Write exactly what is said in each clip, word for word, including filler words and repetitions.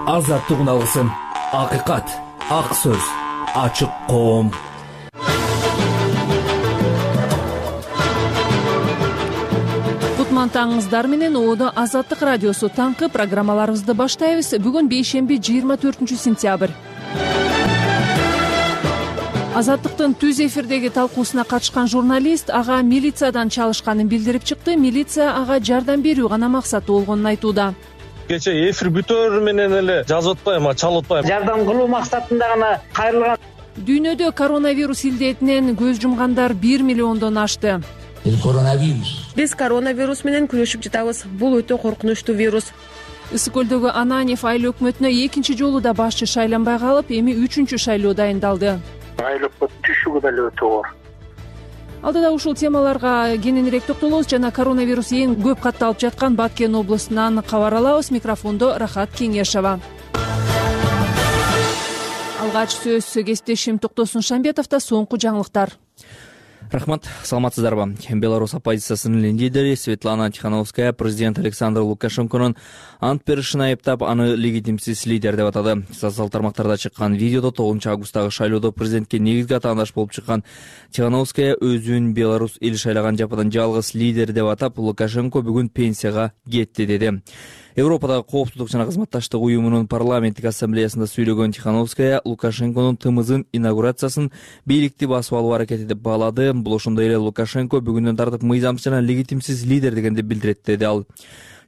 Азаттык алгысым, акыйкат, ак сөз, ачык коом. Таңыңыздар менен Оодо Азаттык радиосу таңкы программаларыбызды баштайбыз. Бүгүн бейшемби жыйырма төртүнчү сентябрь. Азаттыктын түз эфирдеги талкуусуна катышкан журналист ага милициядан чалышканын билдирип чыкты. Милиция ага жардам берүү гана максаты болгонун айтууда. Кече эфир бүтөөр менен эле жазып атпайм, а чалып атпайм. Жардам кылуу максатында гана кайрылган. Дүйнөдө коронавирус илдетинен көз жумгандар бир миллиондон ашты. Биз коронавирус менен күрөшүп жатабыз. Бул өтө коркунучтуу вирус. Ысык көлдөгү Ананьев айыл өкмөтүнө экинчи жолу да башчы шайланбай калып, эми үчүнчү шайлоо дайындалды. Айыл өкмөт түшүгү деле өтө оор. Алдыда ушул темаларга кененирээк токтолобуз жана коронавирус эң көп катталып жаткан Баткен областынан кабар алабыз. Микрофондо Рахат Кеңешова. Алгач сөз кесиптешим Токтосун Шамбетовдо. Соңку жаңылыктар. Рахмат, саламатсыздарбы? Беларусь оппозициясынын лидери Светлана Тихановская президент Александр Лукашенконун ант беришин айыптап, аны легитимсиз лидер деп атады. Социалдык тармактарда чыккан видеодо тогузунчу августтагы шайлоодо президентке негизги атаандаш болуп чыккан Тихановская өзүн Беларусь эл шайлаган жападан жалгыз лидер деп атап, Лукашенко бүгүн пенсияга кетти деди. Европадагы коопсуздук жана кызматташтык уюмунун парламенттик ассамблеясында сүйлөгөн Тихановская Лукашенконун тымызын инаугурациясын бийликти басып алуу аракети деп баалады. Бул ошондой эле Лукашенко бүгүндөн тартып мыйзамсыз жана легитимсиз лидер дегенди билдирет деди ал.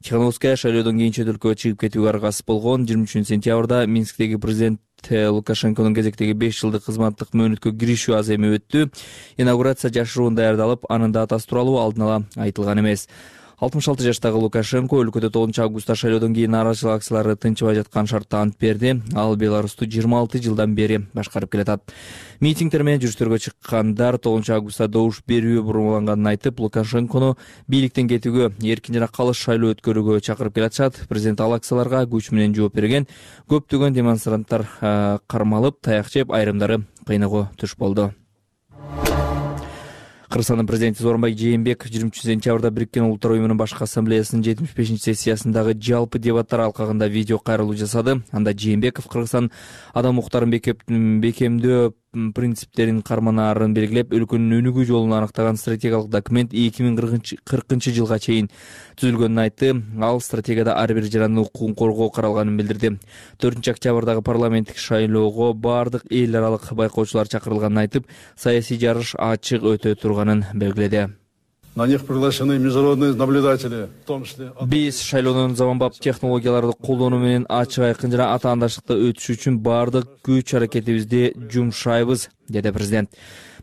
Тихановская шайлоодон кийин чет өлкөгө чыгып кетүүгө аргасыз болгон. жыйырма үчүнчү сентябрда Минсктеги президент Лукашенконун кезектеги беш жылдык кызматтык мөөнөткө киришүү аземи өттү. Инаугурация жашыруун даярдалып, анын датасы тууралуу алдын ала айтылган эмес. алтымыш алты жаштагы Лукашенко өлкөдө тогузунчу августта шайлоодон кийин нааразычылык акциялары тынчыбай жаткан шартта ант берди. Ал Беларусту жыйырма алты жылдан бери башкарып келатат. Митингдер менен жүрүштөргө чыккандар тогузунчу августта добуш берүү бурмаланганын айтып, Лукашенкону бийликтен кетүүгө, эркин жана калыс шайлоо өткөрүүгө чакырып келатышат. Президент ал акцияларга күч менен жооп берген. Көптөгөн демонстранттар кармалып, таяк жеп, айрымдары кыйноого туш болду. Кыргызстандын президенти Сооронбай Жээнбеков жыйырма үчүнчү сентябрда Бириккен Улуттар уюмунун башкы ассамблеясынын жетимиш бешинчи сессиясындагы жалпы дебаттар алкагында видео кайрылуу жасады. Анда Жээнбеков Кыргызстан адам укуктарын бекемдөө принциптерин карманаарын белгилеп, өлкөнүн өнүгүү жолун аныктаган стратегиялык документ эки миң кыркынчы жылга чейин түзүлгөнүн айтты. Ал стратегияда ар бир жарандын укугун коргоо каралганын билдирди. төртүнчү октябрдагы парламенттик шайлоого бардык эл аралык байкоочулар чакырылганын айтып, саясий жарыш ачык өтө турганын белгиледи. На них приглашены международные наблюдатели, в том числе... Биз шайлоонун заманбап технологияларды колдонуу менен ачык айкын жана атаандаштыкта өтүш үчүн бардык күч аракетибизди жумшайбыз, деди президент.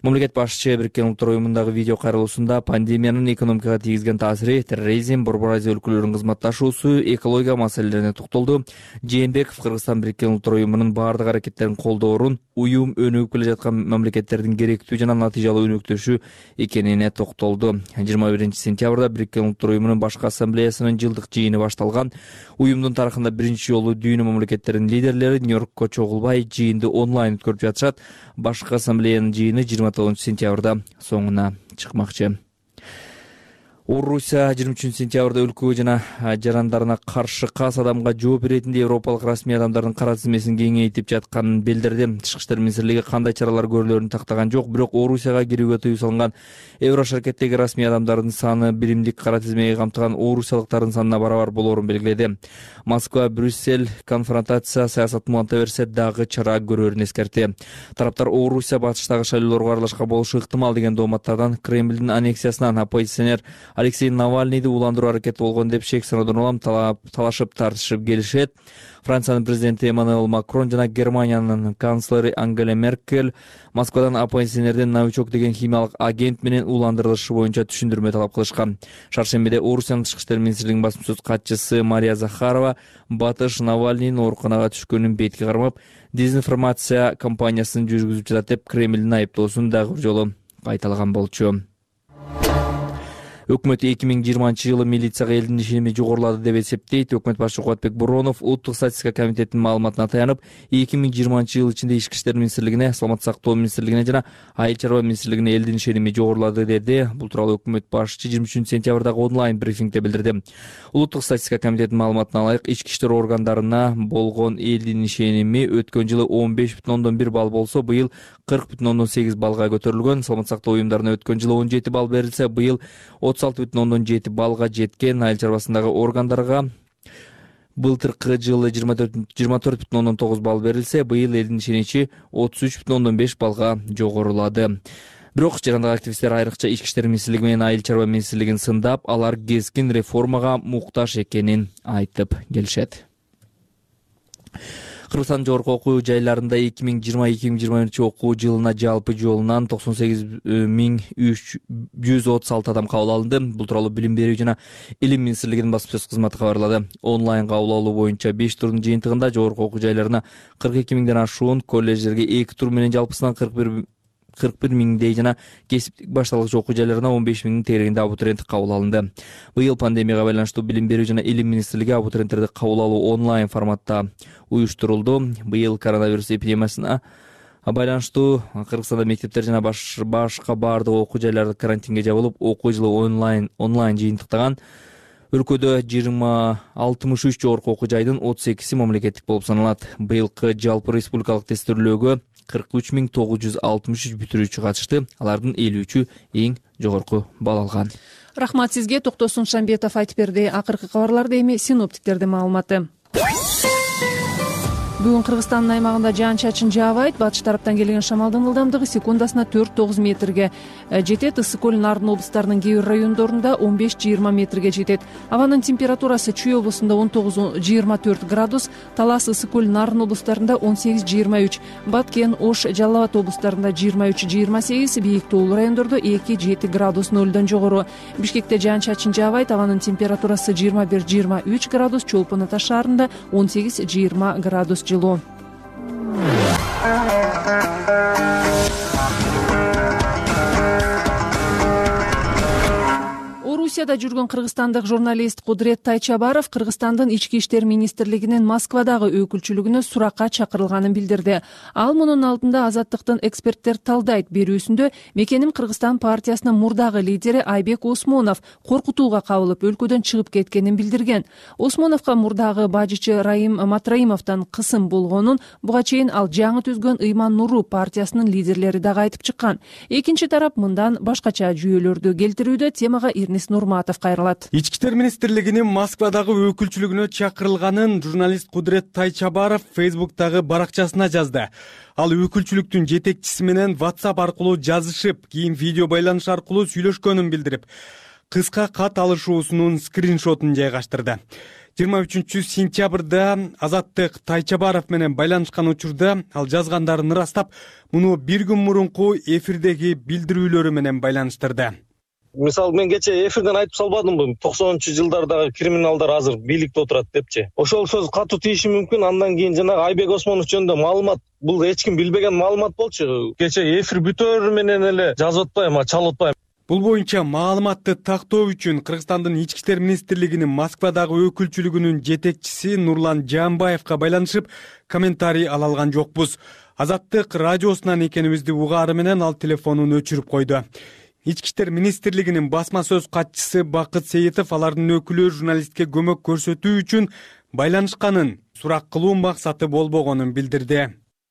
Мамлекет башчы Бириккен Улуттар уюмундагы видео кайрылуусунда пандемиянын экономикага тийгизген таасири, терроризм, Борбор Азия өлкөлөрүнүн кызматташуусу, экология маселелерине токтолду. Жээнбеков Кыргызстан Бириккен Улуттар уюмунун бардык аракеттерин колдоорун, уюм өнүгүп келе жаткан мамлекеттердин керектүү жана натыйжалуу өнөктөшү экенине токтолду. жыйырма биринчи сентябрда Бириккен Улуттар уюмунун башкы ассамблеясынын жылдык жыйыны башталган. Уюмдун тарыхында биринчи жолу дүйнө мамлекеттеринин лидерлери Нью-Йоркко чогулбай жыйынды онлайн өткөрүп жатышат. Башкы ассамблеянын жыйыны жыйырма тогузунчу сентябрда соңуна чыкмакчы. Орусия жыйырма үчүнчү сентябрда өлкөгө жана жарандарына каршы кас адамга жооп беретинде европалык расмий адамдардын кара тизмесин кеңейтип жатканын билдирди. Тышкы иштер министрлиги кандай чаралар көрүлөрүн тактаган жок, бирок Орусияга кирүүгө тыюу салынган Еврошаркеттеги расмий адамдардын саны биримдик кара тизмеге камтыган орусиялыктардын санына барабар болоорун белгиледи. Москва, Брюссель конфронтация саясатын уланта берсе дагы чара көрөрүн эскертти. Тараптар Орусия батыштагы шайлоолорго аралашкан болушу ыктымал деген дооматтардан Кремлдин аннексиясынан оппозиционер Алексей Навальныйды уландыруу аракети болгон деп шек саноодон улам талашып тартышып келишет. Франциянын президенти Эммануэль Макрон жана Германиянын канцлери Ангела Меркель Москвадан оппозиционердин новичок деген химиялык агент менен уландырылышы боюнча түшүндүрмө талап кылышкан. Шаршембиде Орусиянын тышкы иштер министрлигинин басма сөз катчысы Мария Захарова батыш Навальныйдын ооруканага түшкөнүн бетке кармап, дезинформация кампаниясын жүргүзүп жатат деп Кремлдин айыптоосун дагы бир жолу кайталаган болчу. Өкмөт эки миң жыйырманчы жылы милицияга элдин ишеними жогорулады деп эсептейт. Өкмөт башчы Кубатбек Буронов улуттук статистика комитетинин маалыматына таянып, эки миң жыйырманчы жыл ичинде Ички иштер министрлигине, Саламаттык сактоо министрлигине жана Айыл чарба министрлигине элдин ишеними жогорулады деди. Бул тууралуу өкмөт башчы жыйырма үчүнчү сентябрдагы онлайн брифингде билдирди. Улуттук статистика комитетинин маалыматына ылайык, ички иштер органдарына болгон элдин ишеними өткөн жылы он беш бүтүн ондон бир балл болсо, быйыл кырк бүтүн ондон сегиз баллга көтөрүлгөн. Саламаттык сактоо уюмдарына өткөн жылы он жети балл берилсе, быйыл отуз алты бүтүн ондон жети баллга жеткен. Айыл чарбасындагы органдарга былтыркы жылы жыйырма төрт бүтүн ондон тогуз балл берилсе, быйыл элдин ишеничи отуз үч бүтүн ондон беш баллга жогорулады. Бирок жарандык активисттер айрыкча Ички иштер министрлиги менен Айыл чарба министрлигин сындап, алар кескин реформага муктаж экенин айтып келишет. Кыргызстандын жогорку окуу жайларында эки миң жыйырма эки миң жыйырма биринчи окуу жылына жалпы жолунан токсон сегиз миң жүз отуз алты адам кабыл алынды. Бул тууралуу Билим берүү жана Илим министрлигинин басма-сөз кызматы кабарлады. Онлайн кабыл алуу боюнча беш турдун жыйынтыгында жогорку окуу жайларына кырк эки миңден ашуун, колледждерге эки тур менен жалпысынан кырк бир кырк бир миңдей жана кесиптик башталгыч окуу жайларына он беш миңдин тегерегинде абитуриент кабыл алынды. Быйыл пандемияга байланыштуу Билим берүү жана Илим министрлиги абитуриенттерди кабыл алуу онлайн форматта уюштурулду. Быйыл коронавирус эпидемиясына байланыштуу Кыргызстанда мектептер жана башка баардык окуу жайлары карантинге жабылып, окуу жылы онлайн онлайн жыйынтыктаган. Өлкөдө жыйырма алтымыш үч жогорку окуу жайдын отуз экиси мамлекеттик болуп саналат. Быйылкы жалпы республикалык тестирлөөгө кырк үч миң тогуз жүз алтымыш үч бүтүрүүчү катышты. Алардын элүү үчү эң жогорку балл алган. Рахмат сизге. Токтосун Шамбетов айтып берди. Акыркы кабарларды эми синоптиктердин маалыматы. Бүгүн Кыргызстандын аймагында жаан-чачын жаабайт. Батыш тараптан келген шамалдын ылдамдыгы секундасына төрт тогуз метрге жетет. Ысык көл, Нарын облустарынын кээ бир райондорунда он беш жыйырма метрге жетет. Абанын температурасы Чүй облусунда он тогуз жыйырма төрт градус, Талас, Ысык көл, Нарын облустарында он сегиз жыйырма үч, Баткен, Ош, Жалал Абад облустарында жыйырма үч жыйырма сегиз, бийик тоолуу райондордо эки жети градус нөлдөн жогору. Бишкекте жаан-чачын жаабайт. Абанын температурасы жыйырма бир жыйырма үч градус, Чолпон Ата шаарында он сегиз жыйырма градус жылуу. Орусияда жүргөн кыргызстандык журналист Кудрет Тайчабаров Кыргызстандын ички иштер министрлигинин Москвадагы өкүлчүлүгүнө суракка чакырылганын билдирди. Ал мунун алдында Азаттыктын эксперттер талдайт берүүсүндө Мекеним Кыргызстан партиясынын мурдагы лидери Айбек Осмонов коркутууга кабылып өлкөдөн чыгып кеткенин билдирген. Осмоновго мурдагы бажычы Раим Матраимовдон кысым болгонун, буга чейин ал жаңы түзгөн Ыйман Нуру партиясынын лидерлери дагы айтып чыккан. Экинчи тарап мындан башкача жүйөлөрдү келтирүүдө. Темага Ирнис Нурматов кайрылат. Ички иштер министрлигинин Москвадагы өкүлчүлүгүнө чакырылганын журналист Кудрет Тайчабаров Фейсбуктагы баракчасына жазды. Ал өкүлчүлүктүн жетекчиси менен WhatsApp аркылуу жазышып, кийин видео байланыш аркылуу сүйлөшкөнүн билдирип, кыска кат алышуусунун скриншотун жайгаштырды. жыйырма үчүнчү сентябрда Азаттык Тайчабаров менен байланышкан учурда ал жазгандарын ырастап, муну бир күн мурунку эфирдеги билдирүүлөрү менен байланыштырды. Мисалы, мен кече эфирден айтып салбадымбы, токсонунчу жылдардагы криминалдар азыр бийликте отурат депчи. Ошол сөз катуу тийиши мүмкүн. Андан кийин жанагы Айбек Осмонов жөнүндө маалымат, бул эч ким билбеген маалымат болчу. Кече эфир бүтөөр менен эле жазып атпайм, чалып атпайм. Бул боюнча маалыматты тактоо үчүн Кыргызстандын ички иштер министрлигинин Москвадагы өкүлчүлүгүнүн жетекчиси Нурлан Жаанбаевга байланышып комментарий ала алган жокпуз. Азаттык радиосунан экенибизди угаары менен ал телефонун өчүрүп койду. Ички иштер министрлигинин басма сөз катчысы Бакыт Сейитов алардын өкүлү журналистке көмөк көрсөтүү үчүн байланышканын, сурак кылуу максаты болбогонун билдирди.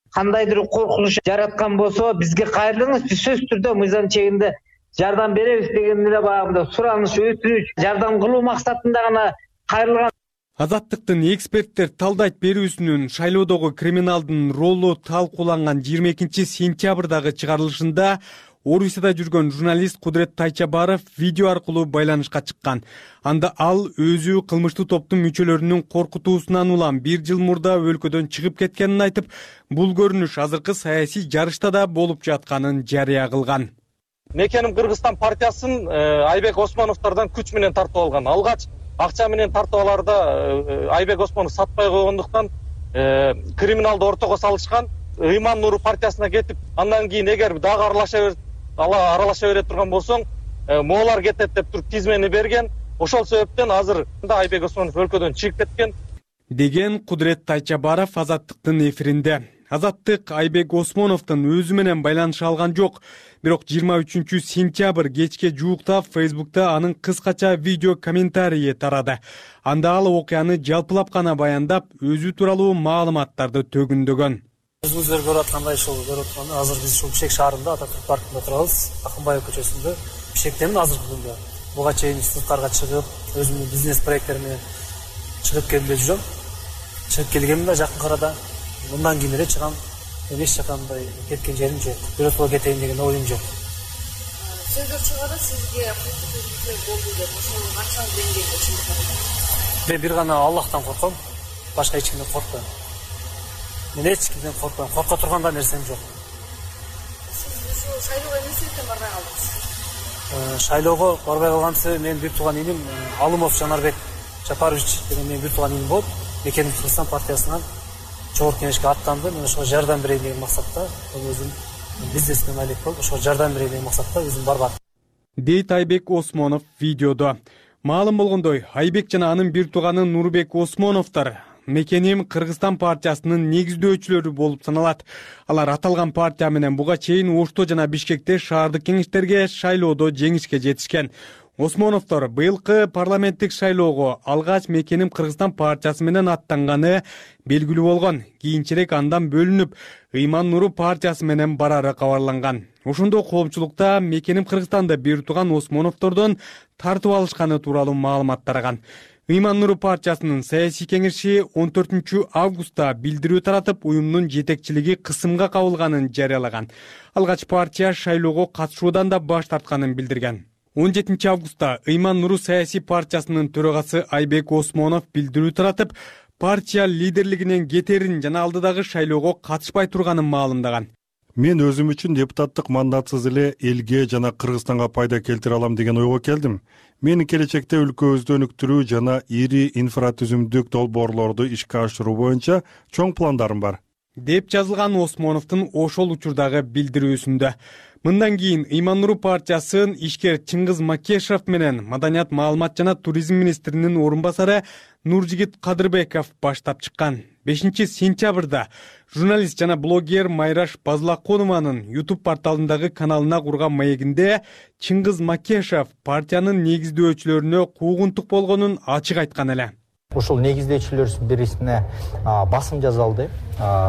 Кандайдыр коркунуч жараткан болсо бизге кайрылыңыз, биз сөзсүз түрдө мыйзам чегинде жардам беребиз деген эле багымда сураныш, өтүнүч, жардам кылуу максатында гана кайрылган. Азаттыктын эксперттер талдайт берүүсүнүн шайлоодогу криминалдын ролу талкууланган жыйырма экинчи сентябрдагы чыгарылышында Орусияда жүргөн журналист Кудрет Тайчабаров видео аркылуу байланышка чыккан. Анда ал өзү кылмыштуу топтун мүчөлөрүнүн коркутуусунан улам бир жыл мурда өлкөдөн чыгып кеткенин айтып, бул көрүнүш азыркы саясий жарышта да болуп жатканын жарыя кылган. Мекеним Кыргызстан партиясын Айбек Осмоновдордон күч менен тартып алган. Алгач акча менен тартып аларда Айбек Осмонов сатпай койгондуктан криминалды ортого салышкан. Ыйман Нуру партиясына кетип, андан кийин эгер дагы аралаша аралаша бере турган болсоң, моолар кетет деп туруп тизмени берген. Ошол себептен азыр Айбек Осмонов өлкөдөн чыгып кеткен деген Кудурет Тайчабаров Азаттыктын эфиринде. Азаттык Айбек Осмоновдун өзү менен байланыша алган жок. Бирок жыйырма үчүнчү сентябрь кечке жуукта Фейсбукта анын кыскача видео комментарийи тарады. Анда ал окуяны жалпылап гана баяндап, өзү тууралуу маалыматтарды төгүндөгөн. Өзүңүздөр көрүп аткандай ушул көрүп атканда азыр биз ушул Бишкек шаарында Ататүрк паркында турабыз. Акынбаев көчөсүндө. Бишкектемин азыркы күндө. Буга чейин сырткарга чыгып, өзүмдүн бизнес проекттериме чыгып келип жүрөм. Чыгып келгенмин да жакын арада. Мындан кийин эле чыгам. Эч жакандай кеткен жерим жок. Биротко кетейин деген оюм жок. Сөздөр чыгады, сизге куркутуу болду деп, ошол канчалык деңгээлде чындыгы? Мен бир гана Аллахтан корком, башка эч кимден коркпойм. Мен эч кимден коркпойм, корко турган да нерсем жок. Сиз ушул шайлоого эмне себептен барбай калдыңыз? Шайлоого барбай калган себебим менин бир тууган иним Алымов Жанарбек Жапарович деген менин бир тууган иним болуп, Мекеним Кыргызстан партиясынан Чогорку кеңешке аттанды. Мен ошого жардам берейин деген максатта, өзүм бизнесмен алек болуп, ошого жардам берейин деген максатта өзүм барбадым. Дейт Айбек Осмонов видеодо. Маалым болгондой, Айбек жана анын бир тууганы Нурбек Осмоновдор Мекеним Кыргызстан партиясынын негиздөөчүлөрү болуп саналат. Алар аталган партия менен буга чейин Ошто жана Бишкекте шаардык кеңештерге шайлоодо жеңишке жетишкен. Осмоновдор быйылкы парламенттик шайлоого алгач Мекеним Кыргызстан партиясы менен аттанганы белгилүү болгон. Кийинчерээк андан бөлүнүп, Ыйман Нуру партиясы менен барары кабарланган. Ошондо коомчулукта Мекеним Кыргызстанда бир тууган Осмоновдордон тартып алышканы тууралуу маалымат тараган. Ыйман Нуру партиясынын саясий кеңеши он төртүнчү августта билдирүү таратып, уюмдун жетекчилиги кысымга кабылганын жарыялаган. Алгач партия шайлоого катышуудан да баш тартканын билдирген. он жетинчи августта Ыйман Нуру саясий партиясынын төрагасы Айбек Осмонов билдирүү таратып, партия лидерлигинен кетерин жана алдыдагы шайлоого катышпай турганын маалымдаган. Мен өзүм үчүн депутаттык мандатсыз эле элге жана Кыргызстанга пайда келтире алам деген ойго келдим. Менин келечекте өлкөбүздү өнүктүрүү жана ири инфратүзүмдүк долбоорлорду ишке ашыруу боюнча чоң пландарым бар, деп жазылган Осмоновдун ошол учурдагы билдирүүсүндө. Мындан кийин Ыйман Нуру партиясын ишкер Чыңгыз Макешов менен Маданият, маалымат жана туризм министринин орун басары Нуржигит Кадырбеков баштап чыккан. бешинчи сентябрда журналист жана блогер Майраш Базлаконованын YouTube порталындагы каналына курган маегинде Чыңгыз Макешов партиянын негиздөөчүлөрүнө куугунтук болгонун ачык айткан эле. Ушул негиздөөчүлөрдүн бирисине басым жазылды.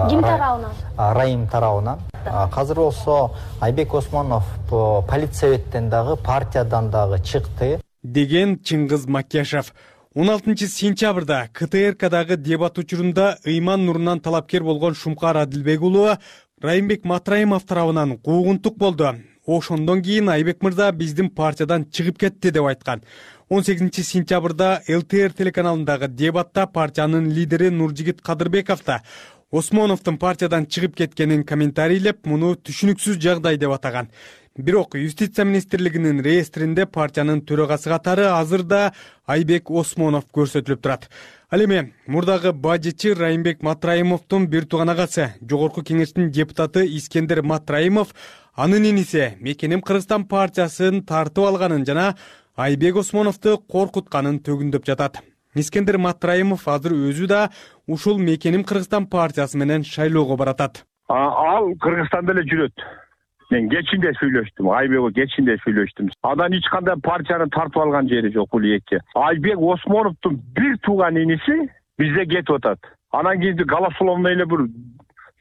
Ким тарабынан? Райым тарабынан. Азыр болсо Айбек Осмонов политсоветтен дагы, партиядан дагы чыкты, деген Чыңгыз Макешов. он алтынчы сентябрда К Т Р Кдагы дебат учурунда Ыйман Нурунан талапкер болгон Шумкар Адилбек уулу Райымбек Матраимов тарабынан куугунтук болду. Ошондон кийин Айбек мырза биздин партиядан чыгып кетти деп айткан. он сегизинчи сентябрда Л Т Р телеканалындагы дебатта партиянын лидери Нуржигит Кадырбеков да Осмоновдун партиядан чыгып кеткенин комментарийлеп, муну түшүнүксүз жагдай деп атаган. Бирок юстиция министрлигинин реестринде партиянын төрагасы катары азырда Айбек Осмонов көрсөтүлүп турат. Ал эми мурдагы бажычы Райымбек Матраимовдун бир тууган агасы, жогорку кеңештин депутаты Искендер Матраимов анын иниси Мекеним Кыргызстан партиясын тартып алганын жана Айбек Осмоновду коркутканын төгүндөп жатат. Искендер Матраимов азыр өзү да ушул Мекеним Кыргызстан партиясы менен шайлоого баратат. Ал Кыргызстанда эле жүрөт. Мен кечинде сүйлөштүм, Айбекке кечинде сүйлөштүм. Адан эч кандай партияны тартып алган жери жок бул эки. Айбек Осмоновдун бир тууган иниси бизде кетип атат. Анан кийин голословно эле бир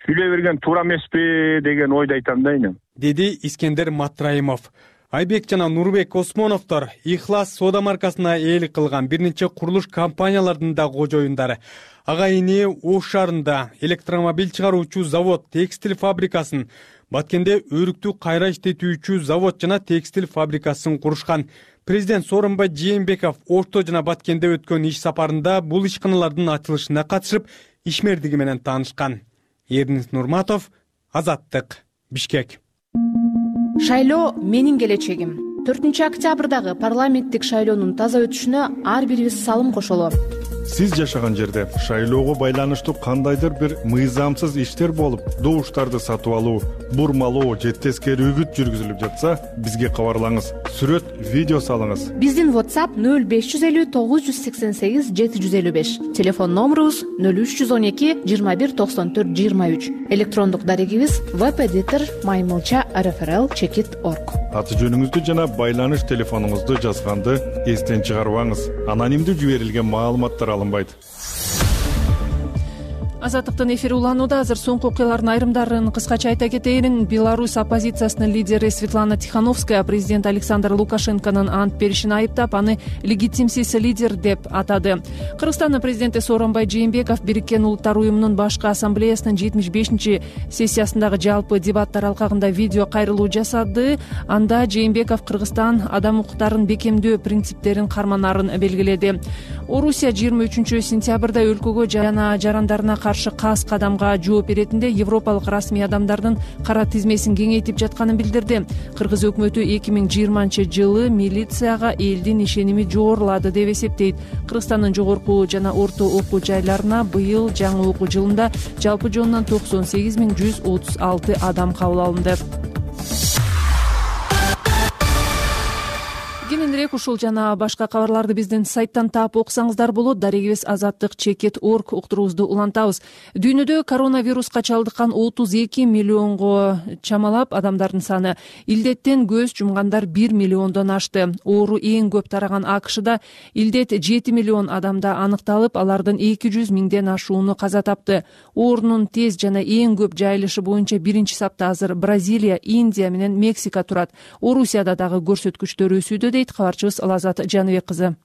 сүйлөй берген туура эмеспи деген ойду айтам да эне. Деди Искендер Матраимов. Айбек жана Нурбек Осмоновдор Ихлас соода маркасына ээлик кылган бир нече курулуш компанияларынын да кожоюндары. Агайыны Ош шаарында электромобиль чыгаруучу завод, текстиль фабрикасын, Баткенде өрүктү кайра иштетүүчү завод жана текстиль фабрикасын курушкан. Президент Сооронбай Жээнбеков Ошто жана Баткенде өткөн иш сапарында бул ишканалардын ачылышына катышып, ишмердиги менен таанышкан. Эрнис Нурматов, Азаттык, Бишкек. Шайлоо менин келечегим. төртүнчү октябрдагы парламенттик шайлоонун таза өтүшүнө ар бирибиз салым кошолу. Сиз жашаган жерде шайлоого байланыштуу кандайдыр бир мыйзамсыз иштер болуп, добуштарды сатып алуу, бурмалоо же тескери үгүт жүргүзүлүп жатса, бизге кабарлаңыз. Сүрөт, видео салыңыз. Биздин WhatsApp нөл беш жүз элүү тогуз жүз сексен сегиз жети жүз элүү беш. Телефон номерубуз нөл үч жүз он эки жыйырма бир токсон төрт жыйырма үч. Электрондук дарегибиз webeditor маймылча эр эф эр эл чекит точка орг. Аты жөнүңүздү жана байланыш телефонуңузду жазганды эстен чыгарбаңыз. Анонимдүү жиберилген маалыматтар алынбайт. Азаттыктын эфири уланууда. Азыр соңку окуялардын айрымдарын кыскача айта кетейин. Беларусь оппозициясынын лидери Светлана Тихановская президент Александр Лукашенконун ант беришин айыптап, аны легитимсиз лидер деп атады. Кыргызстандын президенти Сооронбай Жээнбеков Бириккен Улуттар уюмунун башкы ассамблеясынын жетимиш бешинчи сессиясындагы жалпы дебаттар алкагында видео кайрылуу жасады. Анда Жээнбеков Кыргызстан адам укуктарын бекемдөө принциптерин карманарын белгиледи. Орусия жыйырма үчүнчү сентябрда өлкөгө жана жарандарына каршы кас кадамга жооп беретинде европалык расмий адамдардын кара тизмесин кеңейтип жатканын билдирди. Кыргыз өкмөтү эки миң жыйырманчы жылы милицияга элдин ишеними жогорулады деп эсептейт. Кыргызстандын жогорку жана орто окуу жайларына быйыл жаңы окуу жылында жалпы жонунан токсон сегиз миң жүз отуз алты адам кабыл алынды. Кененирээк ушул жана башка кабарларды биздин сайттан таап окусаңыздар болот. Дарегибиз азаттык чекит точка орг уктуруубузду улантабыз. Дүйнөдө коронавируска чалдыккан отуз эки миллионго чамалап адамдардын саны, илдеттен көз жумгандар бир миллиондон ашты. Оору эң көп тараган АКШда илдет жети миллион адамда аныкталып, алардын эки жүз миңден ашууну каза тапты. Оорунун тез жана эң көп жайылышы боюнча биринчи сапта азыр Бразилия, Индия менен Мексика турат. Орусияда дагы көрсөткүчтөр өсүүдө дейт кабарчыбыз Лазат Жаныбек кызы.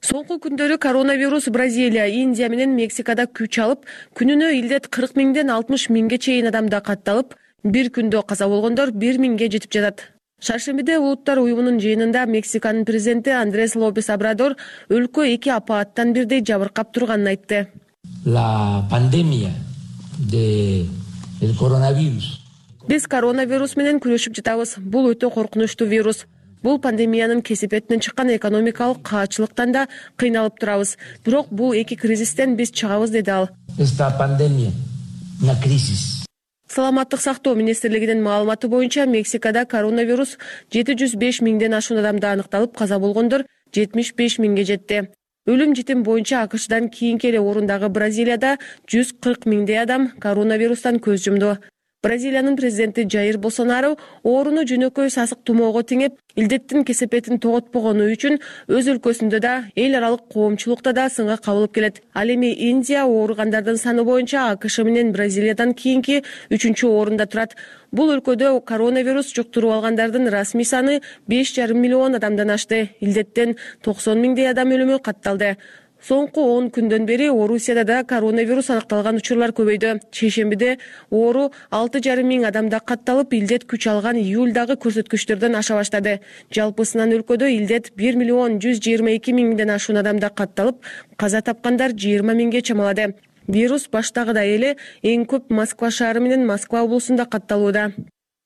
Соңку күндөрү коронавирус Бразилия, Индия менен Мексикада күч алып, күнүнө илдет кырк миңден алтымыш миңге чейин адамда катталып, бир күндө каза болгондор бир миңге жетип жатат. Шаршембиде Улуттар уюмунун жыйынында Мексиканын президенти Андрес Лопес Обрадор өлкө эки апааттан бирдей жабыркап турганын айтты. La pandemia de el coronavirus. Биз коронавирус менен күрөшүп жатабыз. Бул өтө коркунучтуу вирус. Бул пандемиянын кесепетинен чыккан экономикалык каачылыктан да кыйналып турабыз. Бирок бул эки кризистен биз чыгабыз, деди ал. Esta pandemia, una crisis. Саламаттык сактоо министрлигинин маалыматы боюнча Мексикада коронавирус жети жүз беш миңден ашуун адамда аныкталып, каза болгондор жетимиш беш миңге жетти. Өлүм житим боюнча АКШдан кийинки эле орундагы Бразилияда жүз кырк миңдей адам коронавирустан көз жумду. Бразилиянын президенти Жаир Болсонару ооруну жөнөкөй сасык тумоого теңеп, илдеттин кесепетин тоготпогону үчүн өз өлкөсүндө да, эл аралык коомчулукта да сынга кабылып келет. Ал эми Индия ооругандардын саны боюнча АКШ менен Бразилиядан кийинки үчүнчү орунда турат. Бул өлкөдө коронавирус жуктуруп алгандардын расмий саны беш жарым миллион адамдан ашты. Илдеттен токсон миңдей адам өлүмү катталды. Соңку он күндөн бери Орусияда да коронавирус аныкталган учурлар көбөйдү. Шейшембиде оору алты жарым миң адамда катталып, илдет күч алган июлдагы көрсөткүчтөрдөн аша баштады. Жалпысынан өлкөдө илдет бир миллион жүз жыйырма эки миңден ашуун адамда катталып, каза тапкандар жыйырма миңге чамалады. Вирус баштагыдай эле эң көп Москва шаары менен Москва облусунда катталууда.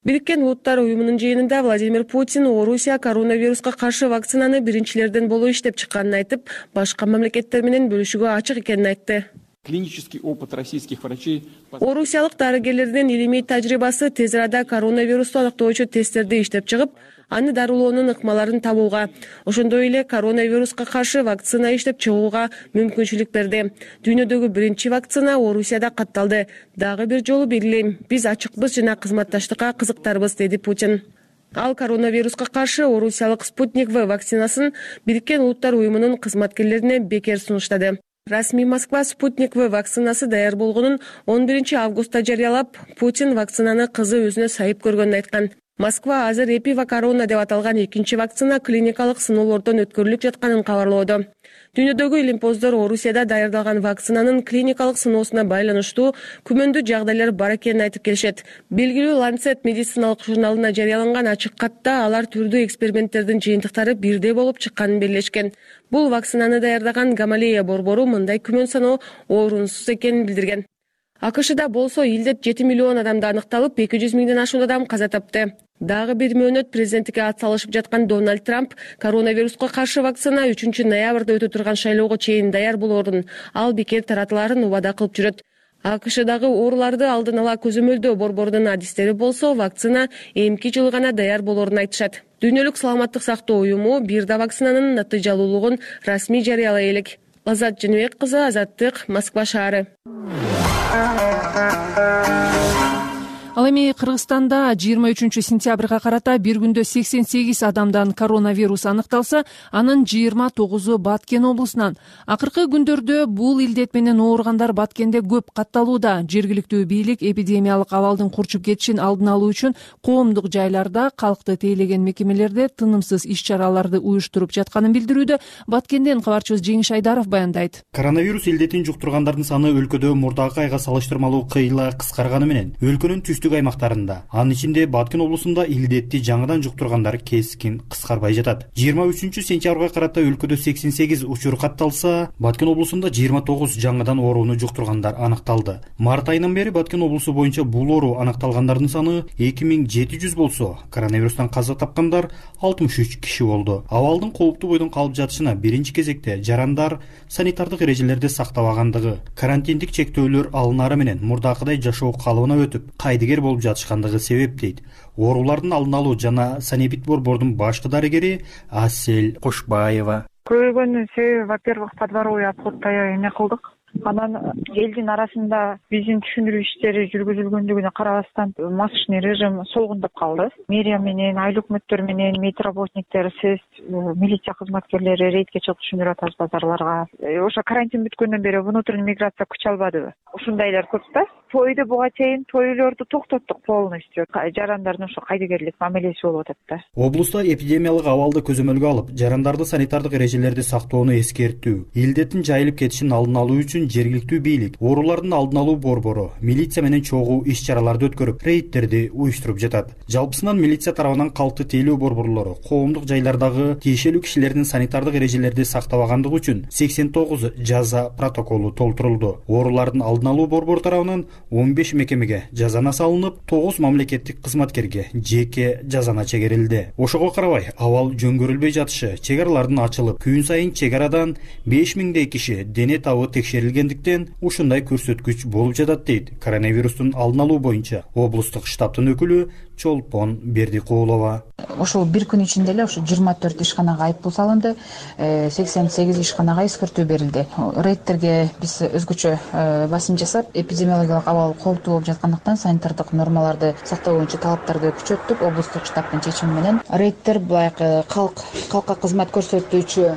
Бириккен Улуттар уюмунун жыйынында Владимир Путин Орусия коронавируска каршы вакцинаны биринчилерден болуп иштеп чыкканын айтып, башка мамлекеттер менен бөлүшүүгө ачык экенин айтты. Клинический опыт российских врачей. Орусиялык дарыгерлердин илимий тажрыйбасы тез арада коронавирусту аныктоочу тесттерди иштеп чыгып, аны дарылоонун ыкмаларын табууга, ошондой эле коронавируска каршы вакцина иштеп чыгууга мүмкүнчүлүк берди. Дүйнөдөгү биринчи вакцина Орусияда катталды. Дагы бир жолу белгилейм, биз ачыкпыз жана кызматташтыкка кызыктарбыз, деди Путин. Ал коронавируска каршы Орусиялык Спутник В вакцинасын Бириккен Улуттар уюмунун кызматкерлерине бекер сунуштады. Расмий Москва Спутник В вакцинасы даяр болгонун он биринчи августта жарыялап, Путин вакцинаны кызы өзүнө сайып көргөнүн айткан. Москва азыр Эпива Корона деп аталган экинчи вакцина клиникалык сыноолордон өткөрүлүп жатканын кабарлоодо. Дүйнөдөгү илимпоздор Орусияда даярдалган вакцинанын клиникалык сыноосуна байланыштуу күмөндүү жагдайлар бар экенин айтып келишет. Белгилүү Lancet медициналык журналына жарыяланган ачык катта алар түрдүү эксперименттердин жыйынтыктары бирдей болуп чыкканын белгилешкен. Бул вакцинаны даярдаган Гамалея борбору мындай күмөн саноо орунсуз экенин билдирген. АКШда болсо илдет жети миллион адамда аныкталып, эки жүз миңден ашуун адам каза тапты. Дагы бир мөөнөт президенттикке ат салышып жаткан Дональд Трамп коронавируска каршы вакцина үчүнчү ноябрда өтө турган шайлоого чейин даяр болоорун, ал бекер таратылаарын убада кылып жүрөт. АКШдагы ооруларды алдын ала көзөмөлдөө борборунун адистери болсо, вакцина эмки жылы гана даяр болоорун айтышат. Дүйнөлүк саламаттык сактоо уюму бир да вакцинанын натыйжалуулугун расмий жарыялай элек. Азат Женебек кызы, Азаттык, Москва шаары. Ал эми Кыргызстанда жыйырма үчүнчү сентябрга карата бир күндө сексен сегиз адамдан коронавирус аныкталса, анын жыйырма тогузу Баткен облусунан. Акыркы күндөрдө бул илдет менен ооругандар Баткенде көп катталууда. Жергиликтүү бийлик эпидемиялык абалдын курчуп кетишин алдын алуу үчүн коомдук жайларда, калкты тейлеген мекемелерде тынымсыз иш-чараларды уюштуруп жатканын билдирүүдө. Баткенден кабарчыбыз Жеңиш Айдаров баяндайт. Коронавирус илдетин жуктургандардын саны өлкөдө мурдакы айга салыштырмалуу кыйла кыскарганы менен өлкөнүн түштүк аймактарында, анын ичинде Баткен облусунда илдетти жаңыдан жуктургандар кескин кыскарбай жатат. жыйырма үчүнчү сентябрга карата өлкөдө сексен сегиз учур катталса, Баткен облусунда жыйырма тогуз жаңыдан ооруну жуктургандар аныкталды. Март айынан бери Баткен облусу боюнча бул оору аныкталгандардын саны эки миң жети жүз болсо, коронавирустан каза тапкандар алтымыш үч киши болду. Абалдын кооптуу бойдон калып жатышына биринчи кезекте жарандар санитардык эрежелерди сактабагандыгы, карантиндик чектөөлөр алынары менен мурдакыдай жашоо калыбына өтүп, кайдыгер болуп жатышкандыгы себеп дейт. Оорулардын алдын алуу жана санэпид борбордун башкы дарыгери Асель Кошбаева. Көбөгөнүн себеби, во-первых, подворовый обходтой эме кылдык. Анан элдин арасында биздин түшүндүрүү иштери жүргүзүлгөндүгүнө карабастан масочный режим солгундап калды. Мэрия менен, айыл өкмөттөр менен, медработниктер, сез, милиция кызматкерлери рейдке чыгып түшүндүрүп атабыз базарларга. Ошо карантин бүткөндөн бери внутренний миграция күч албадыбы? Ушундайлар көп да. Тойду буга чейин тойлорду токтоттук полностью. Жарандардын ошо кайдыгерлик мамилеси болуп атат да. Облуста эпидемиялык абалды көзөмөлгө алып, жарандарды санитардык эрежелерди сактоону эскертүү, илдеттин жайылып кетишин алдын алуу үчүн жергиликтүү бийлик, оорулардын алдын алуу борбору, милиция менен чогуу иш-чараларды өткөрүп, рейдтерди уюштуруп жатат. Жалпысынан милиция тарабынан калкты тейлөө борборлору коомдук жайлардагы тиешелүү кишилердин санитардык эрежелерди сактабагандыгы үчүн сексен тогуз жаза протоколу толтурулду. Оорулардын алдын алуу борбору тарабынан он беш мекемеге жазана салынып, тогуз мамлекеттик кызматкерге жеке жазана чегерилди. Ошого карабай, абал жөнгөрүлбөй жатышы, чек аралардын ачылып, күн сайын чек арадан беш миңдей киши дене табы текшерилгендиктен ушундай көрсөткүч болуп жатат дейт коронавирустун алдын алуу боюнча облустук штабтын өкүлү Чолпон Бердикулова. Ошол бир күн ичинде эле ошо жыйырма төрт ишканага айыппул салынды, сексен сегиз ишканага эскертүү берилди. Рейдтерге биз өзгөчө басым жасап, эпидемиологиялык абал кооптуу болуп жаткандыктан санитардык нормаларды сактоо боюнча талаптарды күчөттүк. Облустук штабтын чечими менен рейдтер булайкы калк калкка кызмат көрсөтүүчү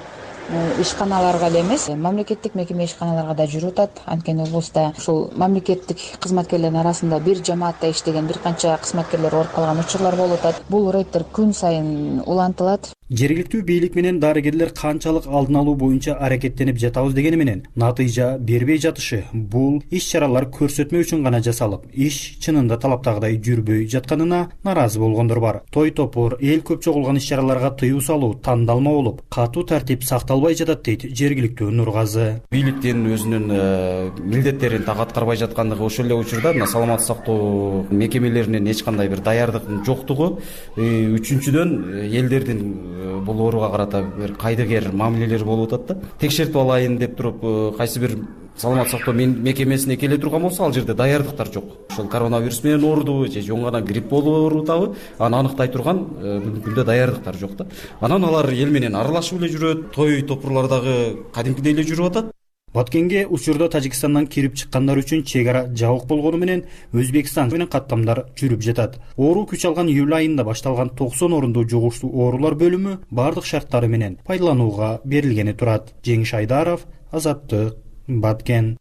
ишканаларга эле эмес, мамлекеттик мекеме ишканаларга да жүрүп атат. Анткени облуста ушул мамлекеттик кызматкерлердин арасында бир жамаатта иштеген бир канча кызматкерлер ооруп калган учурлар болуп атат. Бул рейдтер күн сайын улантылат. Жергиликтүү бийлик менен дарыгерлер канчалык алдын алуу боюнча аракеттенип жатабыз дегени менен натыйжа бербей жатышы, бул иш-чаралар көрсөтмө үчүн гана жасалып, иш чынында талаптагыдай жүрбөй жатканына наразы болгондор бар. Той топур, эл көп чогулган иш-чараларга тыюу салуу тандалма болуп, катуу тартип сакталбай жатат дейт жергиликтүү Нургазы. Бийликтин өзүнүн милдеттерин так аткарбай жаткандыгы, ошол эле учурда мына саламаттык сактоо мекемелеринин эч кандай бир даярдыктын жоктугу, үчүнчүдөн элдердин бул ооруга карата бир кайдыгер мамилелер болуп атат да. Текшертип алайын деп туруп, кайсы бир саламаттык сактоо мекемесине келе турган болсо, ал жерде даярдыктар жок. Ошол коронавирус менен оорудубу же жөн гана грипп болуп оорутабы, аны аныктай турган бүгүнкү күндө даярдыктар жок да. Анан алар эл менен аралашып эле жүрөт, той топурлардагы кадимкидей эле жүрүп атат. Баткенге учурда Тажикстандан кирип чыккандар үчүн чек ара жабык болгону менен Өзбекстан менен каттамдар жүрүп жатат. Оору күч алган июль айында башталган токсон орундуу жугуштуу оорулар бөлүмү бардык шарттары менен пайдаланууга берилгени турат. Жеңиш Айдаров, Азаттык, Баткен.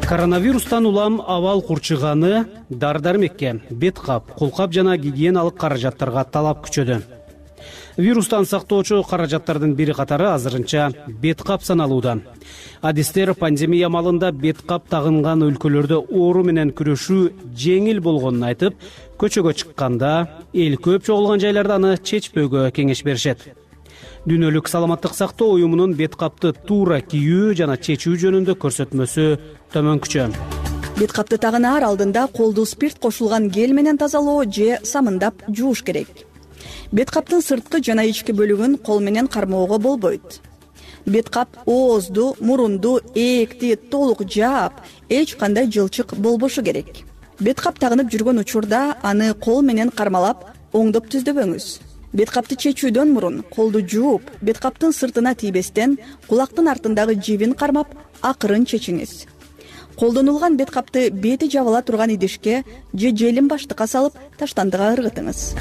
Коронавирустан улам абал курчуганы дар-дармекке, бет кап, колкап жана гигиеналык каражаттарга талап күчөдү. Вирустан сактоочу каражаттардын бири катары азырынча бет кап саналууда. Адистер пандемия малында бет кап тагынган өлкөлөрдө оору менен күрөшүү жеңил болгонун айтып, көчөгө чыкканда эл көп чогулган жайларда аны чечпөөгө кеңеш беришет. Дүйнөлүк саламаттык сактоо уюмунун бет капты туура кийүү жана чечүү жөнүндө көрсөтмөсү төмөнкүчө. Бет капты тагынаар алдында колду спирт кошулган гель менен тазалоо же самындап жууш керек. Бет каптын сырткы жана ички бөлүгүн кол менен кармоого болбойт. Бет кап оозду, мурунду, ээкти толук жаап, эч кандай жылчык болбошу керек. Бет кап тагынып жүргөн учурда аны кол менен кармалап, оңдоп түздөбөңүз. Бет капты чечүүдөн мурун колду жууп, бет каптын сыртына тийбестен кулактын артындагы жибин кармап, акырын чечиңиз. Колдонулган бет капты бети жабыла турган идишке же желим баштыкка салып, таштандыга ыргытыңыз.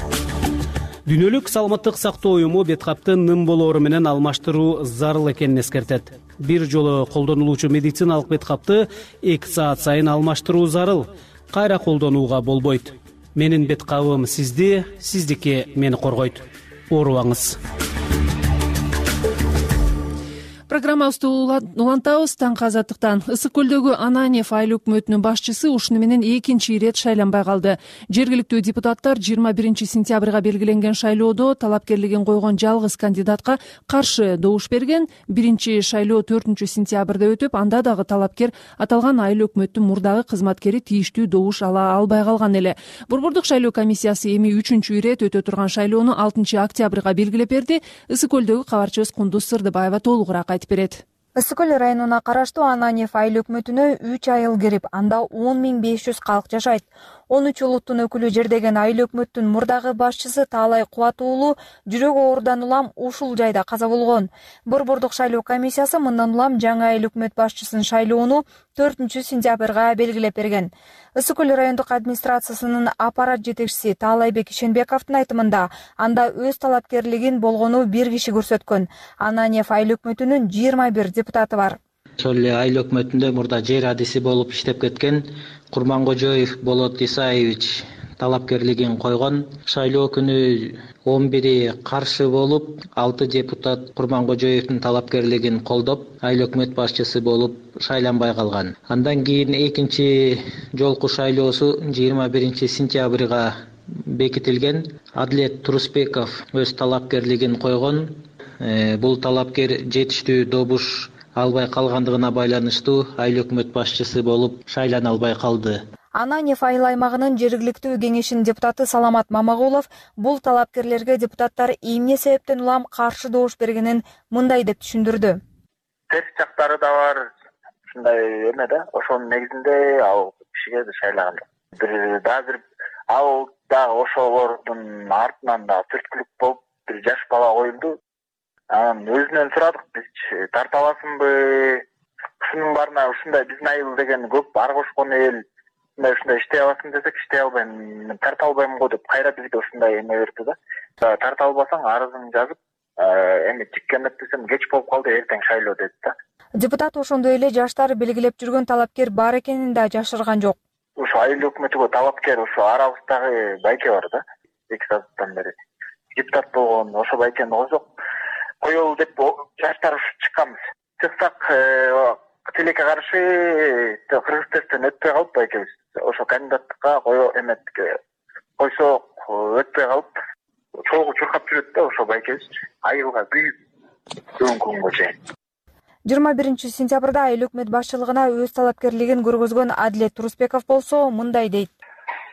Дүйнөлүк саламаттык сактоо уюму бет капты ным болоору менен алмаштыруу зарыл экенин эскертет. Бир жолу колдонулуучу медициналык бет капты эки саат сайын алмаштыруу зарыл. Кайра колдонууга болбойт. Менин бет кабым сизди, сиздики мени коргойт. Оорубаңыз. Программабызды улантабыз. Таңкы азаттыктан. Ысык көлдөгү Ананьев айыл өкмөтүнүн башчысы ушуну менен экинчи ирет шайланбай калды. Жергиликтүү депутаттар жыйырма биринчи сентябрга белгиленген шайлоодо талапкерлигин койгон жалгыз кандидатка каршы добуш берген. Биринчи шайлоо төртүнчү сентябрда өтүп, анда дагы талапкер аталган айыл өкмөттүн мурдагы кызматкери тийиштүү добуш ала албай калган эле. Борбордук шайлоо комиссиясы эми үчүнчү ирет өтө турган шайлоону алтынчы октябрга белгилеп берди. Ысык көлдөгү кабарчыбыз Кундуз Сырдыбаева толугураак айтып берет. Ысык көл районуна караштуу Ананьев айыл өкмөтүнө үч айыл кирип, анда он миң беш жүз калк жашайт. он үч улуттун өкүлү жердеген айыл өкмөттүн мурдагы башчысы Таалай Кубат уулу жүрөк оорудан улам ушул жайда каза болгон. Борбордук шайлоо комиссиясы мындан улам жаңы айыл өкмөт башчысын шайлоону төртүнчү сентябрга белгилеп берген. Ысык көл райондук администрациясынын аппарат жетекчиси Таалайбек Ишенбековдун айтымында, анда өз талапкерлигин болгону бир киши көрсөткөн. Ананьев айыл өкмөтүнүн жыйырма бир депутаты бар. Ошол эле айыл өкмөтүндө мурда жер адиси болуп иштеп кеткен Курмангожоев Болот Исаевич талапкерлигин койгон. Шайлоо күнү он бири каршы болуп, алты депутат Курмангожоевдун талапкерлигин колдоп, айыл өкмөт башчысы болуп шайланбай калган. Андан кийин экинчи жолку шайлоосу жыйырма биринчи сентябрга бекитилген. Адлет Турусбеков өз талапкерлигин койгон. Бул талапкер жетиштүү добуш албай калгандыгына байланыштуу айыл өкмөт башчысы болуп шайлана албай калды. Ананьев айыл аймагынын жергиликтүү кеңешинин депутаты Саламат Мамагулов бул талапкерлерге депутаттар эмне себептен улам каршы добуш бергенин мындай деп түшүндүрдү. Терс жактары да бар, ушундай эме да, ошонун негизинде ал кишиге шайлаган. Бир дагы бир ал дагы ошолордун артынан да түрткүлүк болуп бир жаш бала коюлду. Анан өзүнөн сурадык, биз тарта аласыңбы? Ушунун барына ушундай биздин айыл деген көп ар кошкон эл. Ушундай иштей аласың десек, иштей албайм, тарта албайм го деп кайра бизге ушундай эме берди да. Тарта албасаң арызыңды жазып, эми тикке эметпесем кеч болуп калды, эртең шайлоо деди да. Депутат ошондой эле жаштар белгилеп жүргөн талапкер бар экенин да жашырган жок. Ушу айыл өкмөтүгө талапкер ушу арабыздагы байке бар да. эки сааттан бери депутат болгон ошо байкени койсок коелу деп жаштар чыкканбыз. Чыксак тилекке каршы кыргыз тесттен өтпөй калып байкебиз. Ошо кандидаттыкка кое эметке койсок өтпөй калып, чогуу чуркап жүрөт да ошо байкебиз. Айылга күйүп бүгүнкү күнгө чейин. жыйырма биринчи сентябрда айыл өкмөт башчылыгына өз талапкерлигин көргөзгөн Адлет Турусбеков болсо мындай дейт.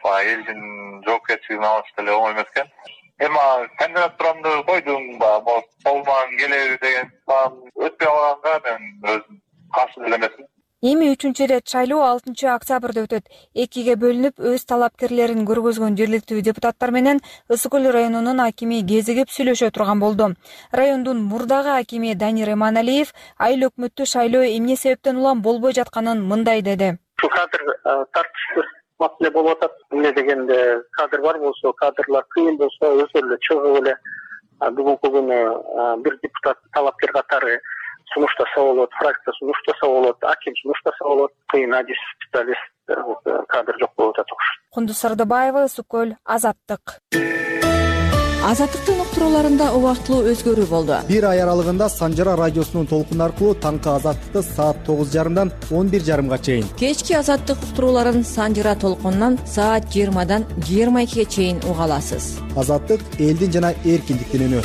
Элдин жоопкерчилигин алыш деле оңой эмес экен. Эми кандидатурамды койдум, колуман келеби деген өтпөй калганга мен өзүм каршы деле эмесмин. Эми үчүнчү ирет шайлоо алтынчы октябрда өтөт. Экиге бөлүнүп өз талапкерлерин көргөзгөн жергиликтүү депутаттар менен Ысык көл районунун акими кезигип сүйлөшө турган болду. Райондун мурдагы акими Данир Эманалиев айыл өкмөттү шайлоо эмне себептен улам болбой жатканын мындай деди. Ушул кадр тартыштуу маселе болуп атат. Эмне дегенде кадр бар болсо, кадрлар кыйын болсо, өзү эле чыгып эле бүгүнкү күнү бир депутат талапкер катары сунуштаса болот, фракция сунуштаса болот, аким сунуштаса болот, кыйын адис специалист кадр жок болуп атат. Кундуз Сырдыбаева, Ысык көл, Азаттык. Азаттыктын уктурууларында убактылуу өзгөрүү болду. Бир ай аралыгында Санжара радиосунун толкуну аркылуу таңкы Азаттыкты саат тогуз жарымдан он бир жарымга чейин, кечки Азаттык уктурууларын Санжара толкунунан саат жыйырмадан жыйырма экиге чейин уга аласыз. Азаттык элдин жана эркиндиктин үнү.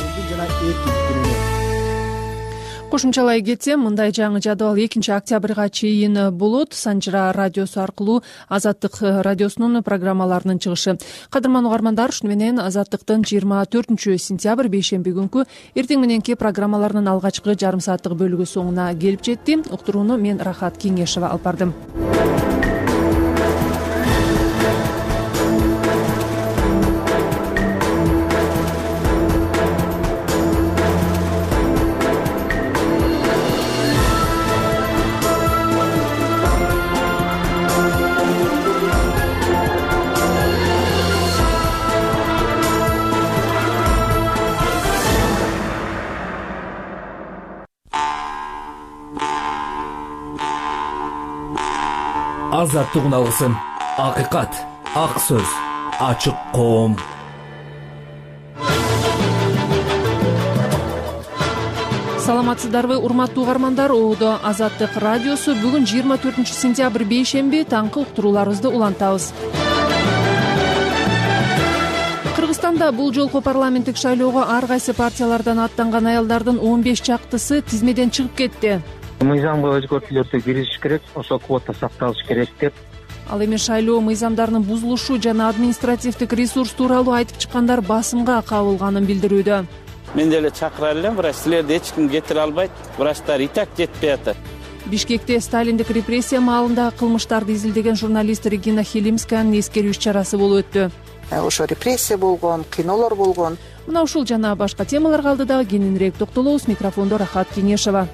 кошумчалай кетсем, мындай жаңы жадыбал экинчи октябрга чейин болот. Санжыра радиосу аркылуу Азаттык радиосунун программаларынын чыгышы. Кадырман угармандар, ушуну менен Азаттыктын жыйырма төртүнчү сентябрь бейшемби күнкү эртең мененки программаларынын алгачкы жарым сааттык бөлүгү соңуна келип жетти. Уктурууну мен Рахат Кеңешова алып бардым. Азаттык алгысын, акыйкат, ак сөз, ачык коом. Саламатсыздарбы, урматтуу угармандар? Оодо Азаттык радиосу. Бүгүн жыйырма төртүнчү сентябрь бейшемби, таңкы уктурууларыбызды улантабыз. Кыргызстанда бул жолку парламенттик шайлоого ар кайсы партиялардан аттанган аялдардын он беш чактысы тизмеден чыгып кетти. Мыйзамга өзгөртүүлөрдү киргизиш керек, ошо квота сакталыш керек деп. Ал эми шайлоо мыйзамдарынын бузулушу жана административдик ресурс тууралуу айтып чыккандар басымга кабылганын билдирүүдө. Мен деле чакыра элем, бирок силерди эч ким кетире албайт. Врачтар и так жетпей атат. Бишкекте сталиндик репрессия маалында кылмыштарды изилдеген журналист Регина Хилимсканын эскерүү иш-чарасы болуп өттү. Ошо репрессия болгон, кинолор болгон. Мына ушул жана башка темаларга алдыда кененирээк токтолобуз. Микрофондо Рахат Кеңешова.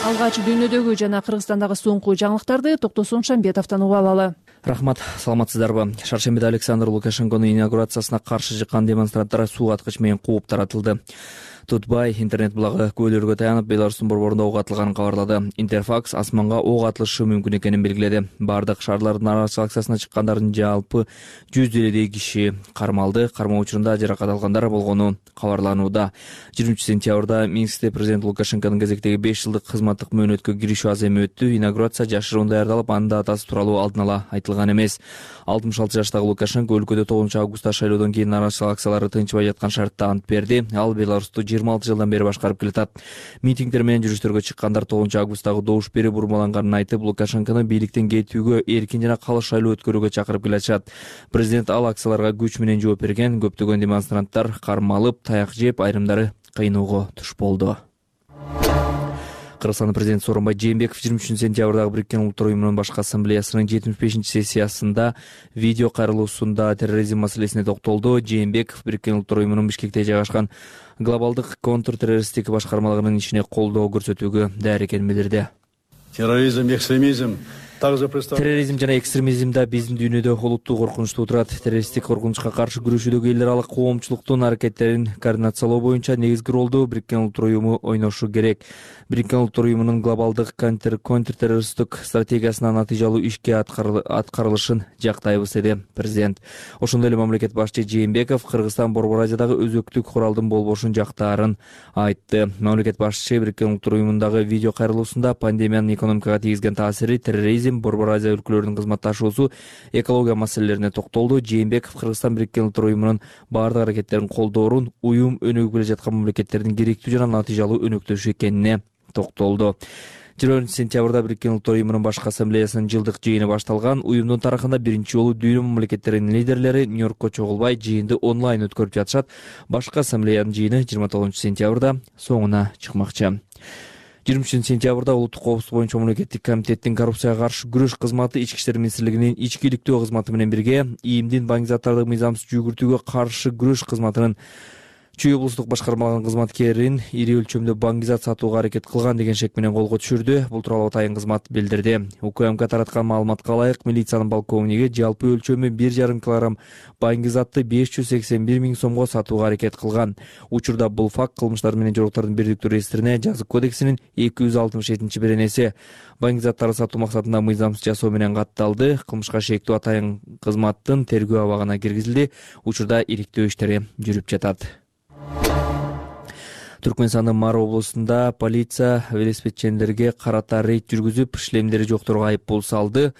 Алгач дүйнөдөгү жана Кыргызстандагы соңку жаңылыктарды Токтосун Шамбетовдон угуп алалы. Рахмат, саламатсыздарбы? Шаршембиде Александр Лукашенконун инаугурациясына каршы чыккан демонстранттар суу аткыч менен кууп таратылды. Тутбай интернет булагы көөлөргө таянып Беларустун борборунда ок атылганын кабарлады. Интерфакс асманга ок атылышы мүмкүн экенин белгиледи. Бардык шаарлардын арачылык акциясына чыккандардын жалпы жүз элүү киши кармалды. Кармоо учурунда жаракат алгандар болгону кабарланууда. жыйырманчы сентябрда Минскте президент Лукашенконун кезектеги беш жылдык кызматтык мөөнөткө киришүү аз эми өттү. Инаугурация жашыруун даярдалып, анын датасы тууралуу алдын ала айтылган эмес. алтымыш алты жаштагы Лукашенко өлкөдө тогузунчу августта шайлоодон кийин арачылык акциялары тынчыбай жаткан шартта ант берди. Ал Беларусту жыйырма алты жылдан бери башкарып келатат. Митингдер менен жүрүштөргө чыккандар тогузунчу августтагы добуш берүү бурмаланганын айтып, Лукашенкону бийликтен кетүүгө, эркин жана калыс шайлоо өткөрүүгө чакырып келатышат. Президент ал акцияларга күч менен жооп берген. Көптөгөн демонстранттар кармалып, таяк жеп, айрымдары кыйноого туш болду. Кыргызстандын президенти Сооронбай Жээнбеков жыйырма үчүнчү сентябрдагы Бириккен Улуттар уюмунун башкы ассамблеясынын жетимиш бешинчи сессиясында видео кайрылуусунда терроризм маселесине токтолду. Жээнбеков Бириккен Улуттар уюмунун Бишкекте жайгашкан глобалдык контртеррористтик башкармалыгынын ишине колдоо көрсөтүүгө даяр экенин билдирди. Терроризм, экстремизм Терроризм жана экстремизм да биздин дүйнөдө олуттуу коркунучту туудурат. Террористтик коркунучка каршы күрөшүүдөгү эл аралык коомчулуктун аракеттерин координациялоо боюнча негизги ролду Бириккен Улуттар уюму ойношу керек. Бириккен Улуттар уюмунун глобалдык контртеррористтик стратегиясынын натыйжалуу ишке аткарылышын жактайбыз, деди президент. Ошондой эле мамлекет башчы Жээнбеков Кыргызстан Борбор Азиядагы өзөктүк куралдын болбошун жактаарын айтты. Мамлекет башчы Бириккен Улуттар уюмундагы видео кайрылуусунда пандемиянын экономикага тийгизген таасири, терроризм, Борбор Азия өлкөлөрүнүн кызматташуусу, экология маселелерине токтолду. Жээнбеков Кыргызстан Бириккен Улуттар уюмунун баардык аракеттерин колдоорун, уюм өнүгүп келе жаткан мамлекеттердин керектүү жана натыйжалуу өнөктөшү экенине токтолду. жыйырма биринчи сентябрда Бириккен Улуттар уюмунун башкы ассамблеясынын жылдык жыйыны башталган. Уюмдун тарыхында биринчи жолу дүйнө мамлекеттеринин лидерлери Нью-Йоркко чогулбай жыйынды онлайн өткөрүп жатышат. Башкы ассамблеянын жыйыны жыйырма тогузунчу сентябрда соңуна чыкмакчы. жыйырма үчүнчү сентябрда улуттук коопсуздук боюнча мамлекеттик комитеттин коррупцияга каршы күрөш кызматы Ички иштер министрлигинин ички иликтөө кызматы менен бирге ИИМдин баңгизаттарды мыйзамсыз жүгүртүүгө каршы күрөш кызматынын Чүй облустук башкармалыгынын кызматкерин ири өлчөмдө баңгизат сатууга аракет кылган деген шек менен колго түшүрдү. Бул тууралуу атайын кызмат билдирди. УКМК тараткан маалыматка ылайык, милициянын полковниги жалпы өлчөмү бир жарым килограмм баңгизатты беш жүз сексен бир миң сомго сатууга аракет кылган. Учурда бул факт кылмыштар менен жоруктардын бирдиктүү реестрине жазык кодексинин эки жүз алтымыш жетинчи беренеси баңгизаттарды сатуу максатында мыйзамсыз жасоо менен катталды. Кылмышка шектүү атайын кызматтын тергөө абагына киргизилди. Учурда ириктөө иштери жүрүп жатат. Түркмөнстандын Мар облусунда полиция велосипедчилерге карата рейд жүргүзүп, шлемдери жокторго айыппул салды.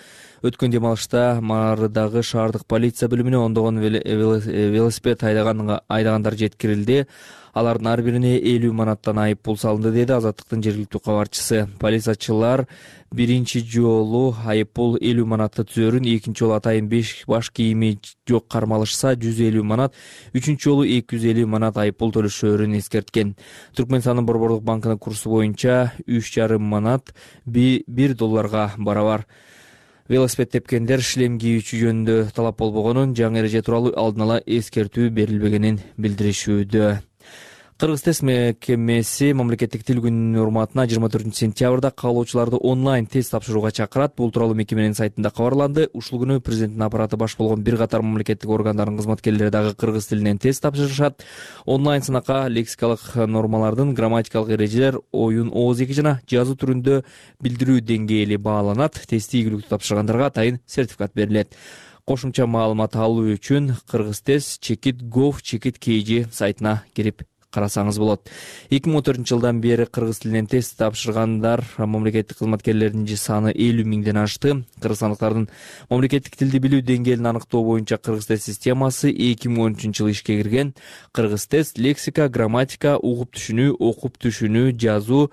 Өткөн демалышта Мардагы шаардык полиция бөлүмүнө ондогон велосипед айдагандар жеткирилди. Алардын ар бирине элүү манаттан айып пул салынды, деди Азаттыктын жергиликтүү кабарчысы. Полициячылар биринчи жолу айып пул элүү манатты түзөрүн, экинчи жолу атайын беш баш кийими жок кармалышса жүз элүү манат, үчүнчү жолу эки жүз элүү манат айып пул төлөшөөрүн эскерткен. Түркмөнстандын Борбордук банкынын курсу боюнча үч жарым манат бир долларга барабар. Велосипед тепкендер шлем кийүүчү жөнүндө талап болбогонун, жаңы эреже тууралуу алдын ала эскертүү берилбегенин билдиришүүдө. Кыргыз тест мекемеси мамлекеттик тил күнүнүн урматына жыйырма төртүнчү сентябрда каалоочуларды онлайн тест тапшырууга чакырат. Бул тууралуу мекеменин сайтында кабарланды. Ушул күнү президенттин аппараты баш болгон бир катар мамлекеттик органдардын кызматкерлери дагы кыргыз тилинен тест тапшырышат. Онлайн сынакка лексикалык нормалардын, грамматикалык эрежелер, оюн ооз эки жана жазуу түрүндө билдирүү деңгээли бааланат. Тестти ийгиликтүү тапшыргандарга атайын сертификат берилет. Кошумча маалымат алуу үчүн кыргыз тест чекит gov чекит kg сайтына кирип карасаңыз болот. эки миң он төртүнчү жылдан бери кыргыз тилинен тест тапшыргандар мамлекеттик кызматкерлердин саны элүү миңден ашты. Кыргызстандыктардын мамлекеттик тилди билүү деңгээлин аныктоо боюнча кыргыз тест системасы эки миң он үчүнчү жылы ишке кирген. Кыргыз тест лексика, грамматика, угуп түшүнүү, окуп түшүнүү, жазуу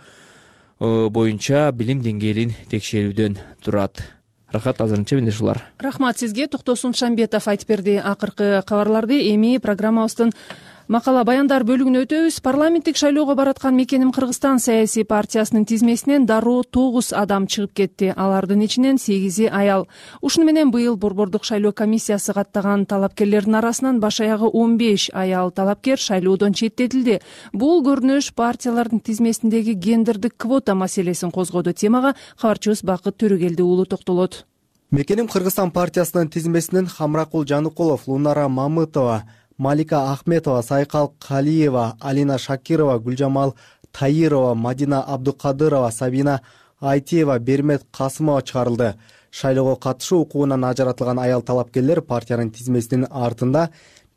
боюнча билим деңгээлин текшерүүдөн турат. Рахат, азырынча менде ушулар. Рахмат сизге. Токтосун Шамбетов айтып берди акыркы кабарларды. Эми программабыздын макала баяндар бөлүгүнө өтөбүз. Парламенттик шайлоого бараткан Мекеним Кыргызстан саясий партиясынын тизмесинен дароо тогуз адам чыгып кетти. Алардын ичинен сегизи аял. Ушуну менен быйыл Борбордук шайлоо комиссиясы каттаган талапкерлердин арасынан баш аягы он беш аял талапкер шайлоодон четтетилди. Бул көрүнүш партиялардын тизмесиндеги гендердик квота маселесин козгоду. Темага кабарчыбыз Бакыт Төрөгелди уулу токтолот. Мекеним Кыргызстан партиясынын тизмесинен Хамракул Жаныкулов, Лунара Мамытова, Малика Ахметова, Сайкал Калиева, Алина Шакирова, Гүлжамал Таирова, Мадина Абдукадырова, Сабина Айтиева, Бермет Касымова чыгарылды. Шайлоого катышуу укугунан ажыратылган аял талапкерлер партиянын тизмесинин артында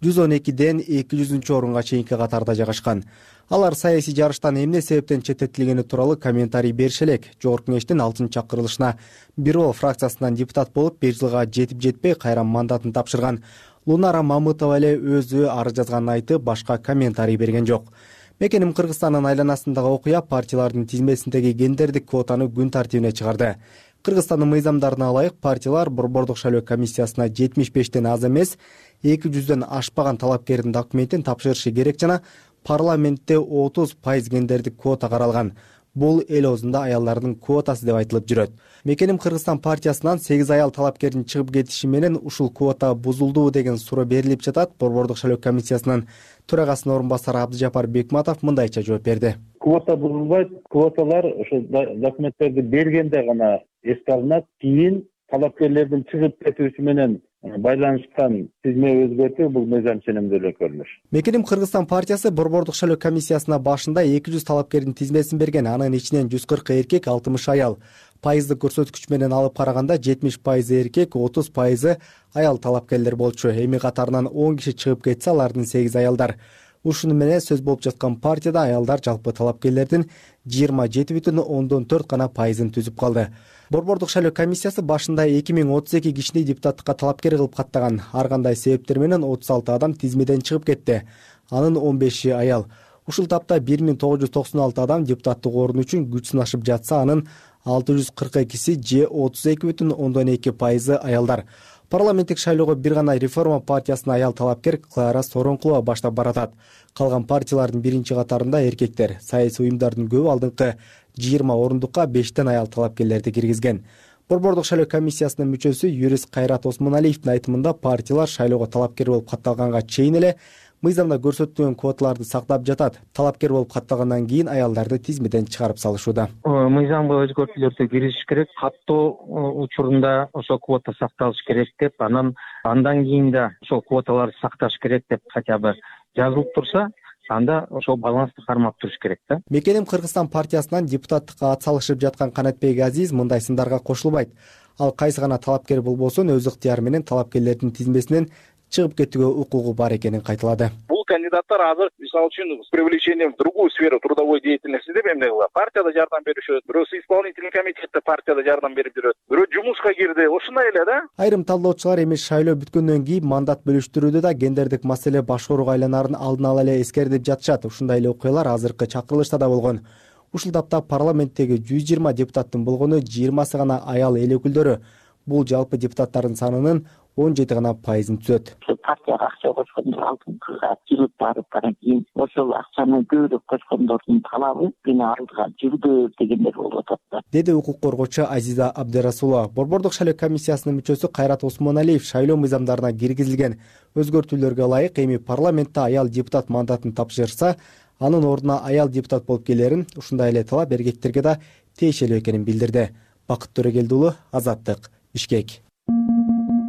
жүз он экиден эки жүзүнчү орунга чейинки катарда жайгашкан. Алар саясий жарыштан эмне себептен четтетилгени тууралуу комментарий берише элек. Жогорку кеңештин алтынчы чакырылышына бир ол фракциясынан депутат болуп, беш жылга жетип жетпей кайра мандатын тапшырган Лунара Мамытова эле өзү арыз жазганын айтып, башка комментарий берген жок. Мекеним Кыргызстандын айланасындагы окуя партиялардын тизмесиндеги гендердик квотаны күн тартибине чыгарды. Кыргызстандын мыйзамдарына ылайык партиялар Борбордук шайлоо комиссиясына жетимиш бештен аз эмес эки жүздөн ашпаган талапкердин документин тапшырышы керек жана парламентте отуз пайыз гендердик квота каралган. Бул эл оозунда аялдардын квотасы деп айтылып жүрөт. Мекеним Кыргызстан партиясынан сегиз аял талапкердин чыгып кетиши менен ушул квота бузулдубу деген суроо берилип жатат. Борбордук шайлоо комиссиясынын төрагасынын орун басары Абдыжапар Бекматов мындайча жооп берди. Квота бузулбайт, квоталар ошо документтерди бергенде гана эске алынат. Кийин талапкерлердин чыгып кетиши менен байланышкан тизме өзгөртүү бул мыйзам ченемдүү эле көрүнүш. Мекеним Кыргызстан партиясы Борбордук шайлоо комиссиясына башында эки жүз талапкердин тизмесин берген. Анын ичинен жүз кырк эркек, алтымыш аял. Пайыздык көрсөткүч менен алып караганда жетимиш пайызы эркек, отуз пайызы аял талапкерлер болчу. Эми катарынан он киши чыгып кетсе, алардын сегиз аялдар. Ушуну менен сөз болуп жаткан партияда аялдар жалпы талапкерлердин жыйырма жети бүтүн ондон төрт гана пайызын түзүп калды. Борбордук шайлоо комиссиясы башында эки миң отуз эки кишини депутаттыкка талапкер кылып каттаган. Ар кандай себептер менен отуз алты адам тизмеден чыгып кетти. Анын он беши аял. Ушул тапта бир миң тогуз жүз токсон алты адам депутаттык орун үчүн күч сынашып жатса, анын алты жүз кырк экиси же отуз эки бүтүн ондон эки пайызы аялдар. Парламенттик шайлоого бир гана Реформа партиясынын аял талапкер Клара Соронкулова баштап баратат. Калган партиялардын биринчи катарында эркектер. Саясий уюмдардын көбү алдыңкы жыйырма орундукка бештен аял талапкерлерди киргизген. Борбордук шайлоо комиссиясынын мүчөсү юрист Кайрат Осмоналиевдин айтымында партиялар шайлоого талапкер болуп катталганга чейин эле мыйзамда көрсөтүлгөн квоталарды сактап жатат. Талапкер болуп катталгандан кийин аялдарды тизмеден чыгарып салышууда. Мыйзамга өзгөртүүлөрдү киргизиш керек. Каттоо учурунда ошо квота сакталыш керек деп, анан андан кийин да ошол квоталарды сакташ керек деп хотя бы жазылып турса, анда ошол балансты кармап туруш керек да. Мекеним Кыргызстан партиясынан депутаттыкка ат салышып жаткан Канатбек Азиз мындай сындарга кошулбайт. Ал кайсы гана талапкер болбосун өз ыктыяры менен талапкерлердин тизмесинен чыгып кетүүгө укугу бар экенин кайталады. Бул кандидаттар азыр мисалы үчүн с привлечением в другую сферу трудовой деятельности деп эмне кылат, партияда жардам беришет, бирөөсү исполнительный комитетте партияда жардам берип жүрөт, бирөө жумушка кирди, ушундай эле да. Айрым талдоочулар эми шайлоо бүткөндөн кийин мандат бөлүштүрүүдө да гендердик маселе башкарууга айланарын алдын ала эле эскертип жатышат. Ушундай эле окуялар азыркы чакырылышта да болгон. Ушул тапта парламенттеги жүз жыйырма депутаттын болгону жыйырмасы гана аял эл өкүлдөрү. Бул жалпы депутаттардын санынын он жети гана пайызын түзөт. Партияга акча кошкондор алдыңкыга жүрүп барып анан кийин ошол акчаны көбүрөөк кошкондордун талабы мени алдыга жүрдү дегендер болуп атат, деди укук коргоочу Азиза Абдырасулова. Борбордук шайлоо комиссиясынын мүчөсү Кайрат Осмоналиев шайлоо мыйзамдарына киргизилген өзгөртүүлөргө ылайык эми парламентте аял депутат мандатын тапшырса, анын ордуна аял депутат болуп келерин, ушундай эле талап эркектерге да тиешелүү экенин билдирди. Бакыт Төрөгелди уулу, Азаттык, Бишкек.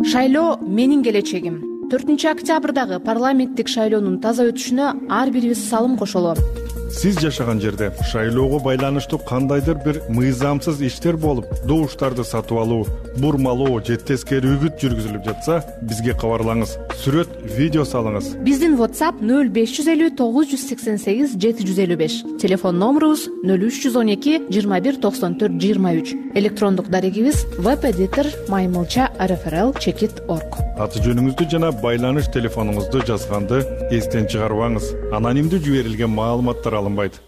Шайлоо менин келечегим. төртүнчү октябрдагы парламенттик шайлоонун таза өтүшүнө ар бирибиз салым кошолу. Сиз жашаган жерде шайлоого байланыштуу кандайдыр бир мыйзамсыз иштер болуп, добуштарды сатып алуу, бурмалоо же тескери үгүт жүргүзүлүп жатса, бизге кабарлаңыз. Сүрөт, видео салыңыз. Биздин WhatsApp нөл беш жүз элүү тогуз жүз сексен сегиз жети жүз элүү беш. Телефон номерубуз нөл үч жүз он эки жыйырма бир токсон төрт жыйырма үч. Электрондук дарегибиз webeditor маймылча эр эф эр эл чекит точка орг. Аты жөнүңүздү жана байланыш телефонуңузду жазганды эстен чыгарбаңыз. Анонимдүү жиберилген маалыматтар алынбайт.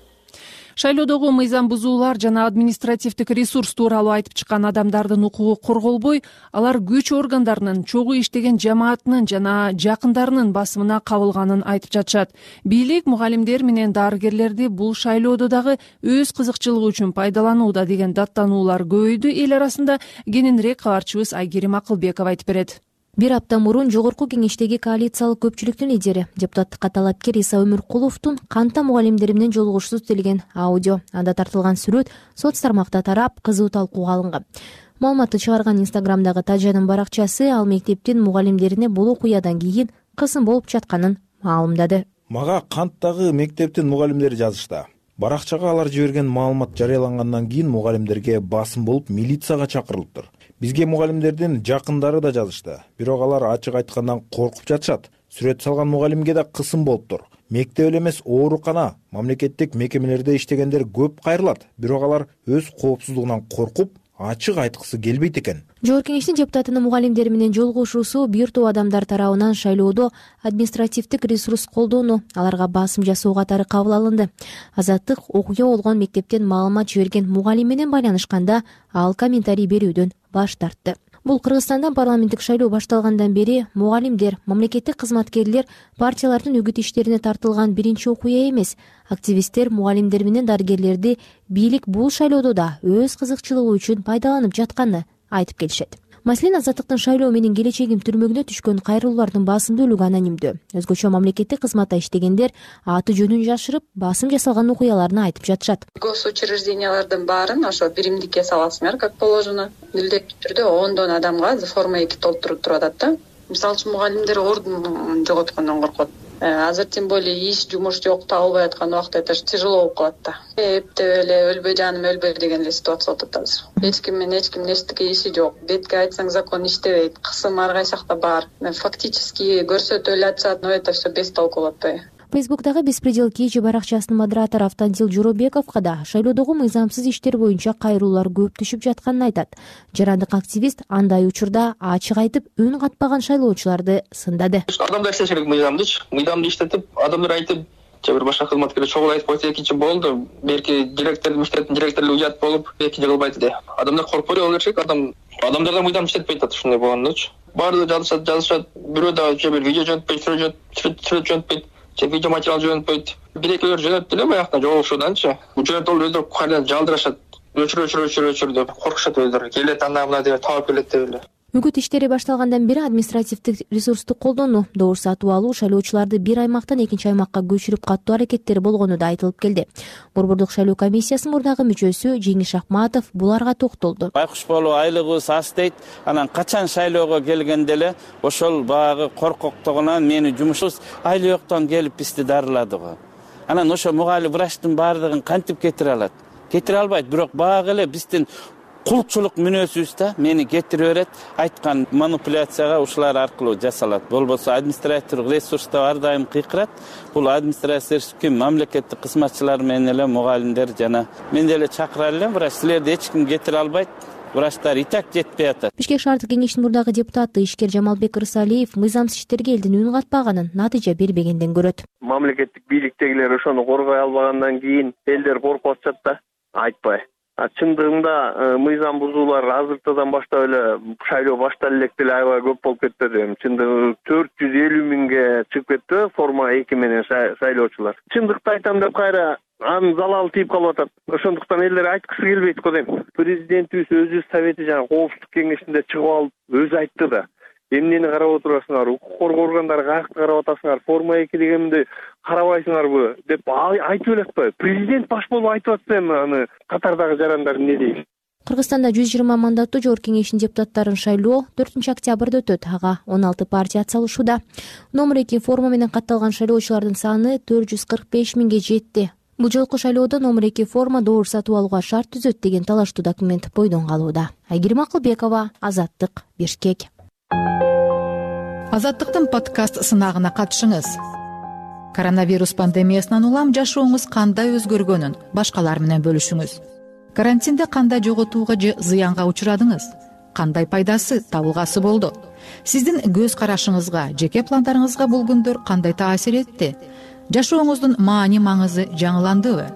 Шайлоодогу мыйзам бузуулар жана административдик ресурс тууралуу айтып чыккан адамдардын укугу корголбой, алар күч органдарынын, чогуу иштеген жамаатынын жана жакындарынын басымына кабылганын айтып жатышат. Бийлик мугалимдер менен дарыгерлерди бул шайлоодо дагы өз кызыкчылыгы үчүн пайдаланууда деген даттануулар көбөйдү. Эл арасында кененирээк кабарчыбыз Айгерим Акылбекова айтып берет. Бир апта мурун жогорку кеңештеги коалициялык көпчүлүктүн лидери, депутаттыкка талапкер Иса Өмүркуловдун канта мугалимдери менен жолугушуусу делген аудио, анда тартылган сүрөт соц тармакта тарап, кызуу талкууга алынган. Маалыматты чыгарган Инстаграмдагы Тажанын баракчасы ал мектептин мугалимдерине бул окуядан кийин кысым болуп жатканын маалымдады. Мага канттагы мектептин мугалимдери жазышты. Баракчага алар жиберген маалымат жарыялангандан кийин мугалимдерге басым болуп милицияга чакырылыптыр. Бизге мугалимдердин жакындары да жазышты. Бирок алар ачык айткандан коркуп жатышат. Сүрөт салган мугалимге да кысым болуптур. Мектеп эле эмес, оорукана, мамлекеттик мекемелерде иштегендер көп кайрылат. Бирок алар өз коопсуздугунан коркуп, ачык айткысы келбейт экен. Жогорку кеңештин депутатынын мугалимдери менен жолугушуусу бир топ адамдар тарабынан шайлоодо административдик ресурс колдоону, аларга басым жасоо катары кабыл алынды. Азаттык окуя болгон мектептен маалымат жиберген мугалим менен байланышканда ал комментарий берүүдөн баш тартты. Бул Кыргызстанда парламенттик шайлоо башталгандан бери мугалимдер, мамлекеттик кызматкерлер, партиялардын үгүт иштерине тартылган биринчи окуя эмес. Активисттер мугалимдер менен дарыгерлерди бийлик бул шайлоодо да өз кызыкчылыгы үчүн пайдаланып жатканын айтып келишет. Маселен, Азаттыктын шайлоо менен келечегим түрмөгүнө түшкөн кайрылуулардын басымдуулугу анонимдүү. Өзгөчө мамлекеттик кызматта иштегендер аты жөнүн жашырып, басым жасалган окуяларын айтып жатышат. Госучреждениялардын баарын ошо биримдикке саласыңар, как положено. Милдеттүү түрдө ондон адамга форма эки толтуруп туруп атат да. Мисалы үчүн мугалимдер ордун жоготкондон коркот. Азыр тем более иш, жумуш жок, табылбай аткан убакта это тяжело болуп калат да. Эптеп эле өлбөй жаным өлбөй деген эле ситуация болуп атат азыр. Эч ким менен эч кимдин эчтеке иши жок. Бетке айтсаң закон иштебейт. Кысым ар кайсы жакта бар. Фактически көрсөтүп эле атышат, но это все без толку болуп атпайбы. Фейсбуктагы Беспредел кечи баракчасынын модератору Автандил Жоробековго да шайлоодогу мыйзамсыз иштер боюнча кайрылуулар көп түшүп жатканын айтат. Жарандык активист андай учурда ачык айтып, үн катпаган шайлоочуларды сындады. Адамдар иштеш керек мыйзамдычы, мыйзамды иштетип, адамдар айтып, же бир башка кызматкер чогуу айтып койсо экинчи болду. Берки директор, миштеттин директору уят болуп, экинчи кылбайт де. Адамдар коркпой боло беришет, адам адамдарда мыйзам иштетпейт атат ушундай болгондочу. Баардыгы жазышат, жазышат, бирөө да же бир видео жөнөтпөйт, сүрөт жөнөтпөйт. Же видео материал жөнөтпөйт. Бир-экөөлөр жөнөттү эле баягы жолугушууданчы. Жөнөтүп алып өздөрү кайрадан жалдырашат. Өчүр өчүр өчүр өчүр деп коркушат өздөрү. Келет анда мына деп таап келет деп эле. Үгүт иштери башталгандан бери административдик ресурсту колдонуу, добуш сатып алуу шайлоочуларды бир аймактан экинчи аймакка көчүрүп каттуу аракеттери болгону да айтылып келди. Борбордук шайлоо комиссиясынын мурдагы мүчөсү Жеңиш Акматов буларга токтолду. Байкуш болуу айлыгыбыз аз дейт. Анан качан шайлоого келгенде эле ошол багы коркоктугунан мени жумушубуз айлы жоктон келип бизди дарылады го. Анан ошо мугалим врачтын баардыгын кантип кетире алат? Кетире албайт, бирок багы эле биздин кулчулук мүнөзүбүз да мени кетире берет, айткан манипуляцияга ушулар аркылуу жасалат. Болбосо административдик ресурста ар дайым кыйкырат. Бул администрация ким? Мамлекеттик кызматчылар менен эле мугалимдер жана мен деле чакыра элем, бирок силерди эч ким кетире албайт. Врачтар и так жетпей атат. Бишкек шаардык кеңештин мурдагы депутаты ишкер Жамалбек Рысалиев мыйзамсыз иштерге элдин үн катпаганын, натыйжа бербегенден көрөт. Мамлекеттик бийликтегилер ошону коргой албагандан кийин элдер коркуп атышат да, айтпай. Чындыгында мыйзам бузуулар азыртадан баштап эле шайлоо башталып элек деле аябай көп болуп кетти. Чындыгы төрт жүз элүү миңге чыгып кетти форма эки менен шайлоочулар. Чындыкты айтам деп кайра анын залалы тийип калып атат. Ошондуктан элдер айткысы келбейт го дейм. Президентибиз өзү совети жана коопсуздук кеңешинде чыгып алып өзү айтты да. Эмнени карап отурасыңар, укук коргоо органдары каякты карап атасыңар, форма эки дегенди карабайсыңарбы деп айтып эле атпайбы? Президент баш болуп айтып атса эми аны катардагы жарандар эмне дейт? Кыргызстанда жүз жыйырма мандаттуу жогорку кеңештин депутаттарын шайлоо төртүнчү октябрда өтөт. Ага он алты партия атсалышууда. Номер эки форма менен катталган шайлоочулардын саны төрт жүз кырк беш миңге жетти. Бул жолку шайлоодо номер эки форма добур сатып алууга шарт түзөт деген талаштуу документ бойдон калууда. Айгерим Акылбекова, Азаттык, Бишкек. Азаттыктын подкаст сынагына катышыңыз. Коронавирус пандемиясынан улам жашооңуз кандай өзгөргөнүн башкалар менен бөлүшүңүз. Карантинде кандай жоготууга же зыянга учурадыңыз? Кандай пайдасы, табылгасы болду? Сиздин көз карашыңызга, жеке пландарыңызга бул күндөр кандай таасир этти? Жашооңуздун маани маңызы жаңыландыбы?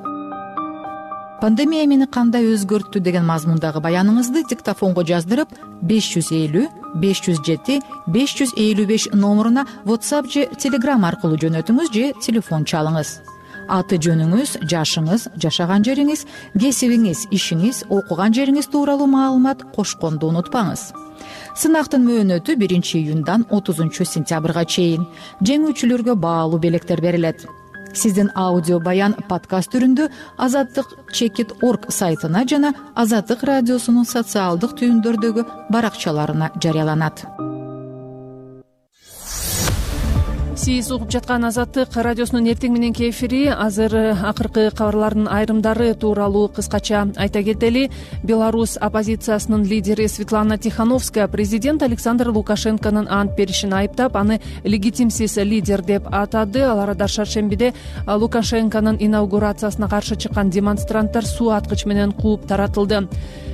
Пандемия мени кандай өзгөрттү деген мазмундагы баяныңызды диктофонго жаздырып беш жүз элүү беш жүз жети беш жүз элүү беш номуруна WhatsApp же Telegram аркылуу жөнөтүңүз же телефон чалыңыз. Аты жөнүңүз, жашыңыз, жашаган жериңиз, кесибиңиз, ишиңиз, окуган жериңиз тууралуу маалымат кошконду унутпаңыз. Сынактын мөөнөтү биринчи июндан отузунчу сентябрга чейин. Жеңүүчүлөргө баалуу белектер берилет. Сиздин аудио баян подкаст түрүндө азаттык чекит точка орг сайтына жана Азаттык радиосунун социалдык түйүндөрдөгү баракчаларына жарыяланат. Сиз угуп жаткан Азаттык радиосунун эртең мененки эфири. Азыр акыркы кабарлардын айрымдары тууралуу кыскача айта кетели. Беларусь оппозициясынын лидери Светлана Тихановская президент Александр Лукашенконун ант беришин айыптап, аны легитимсиз лидер деп атады. Ал арада шаршембиде Лукашенконун инаугурациясына каршы чыккан демонстранттар суу аткыч менен кууп таратылды.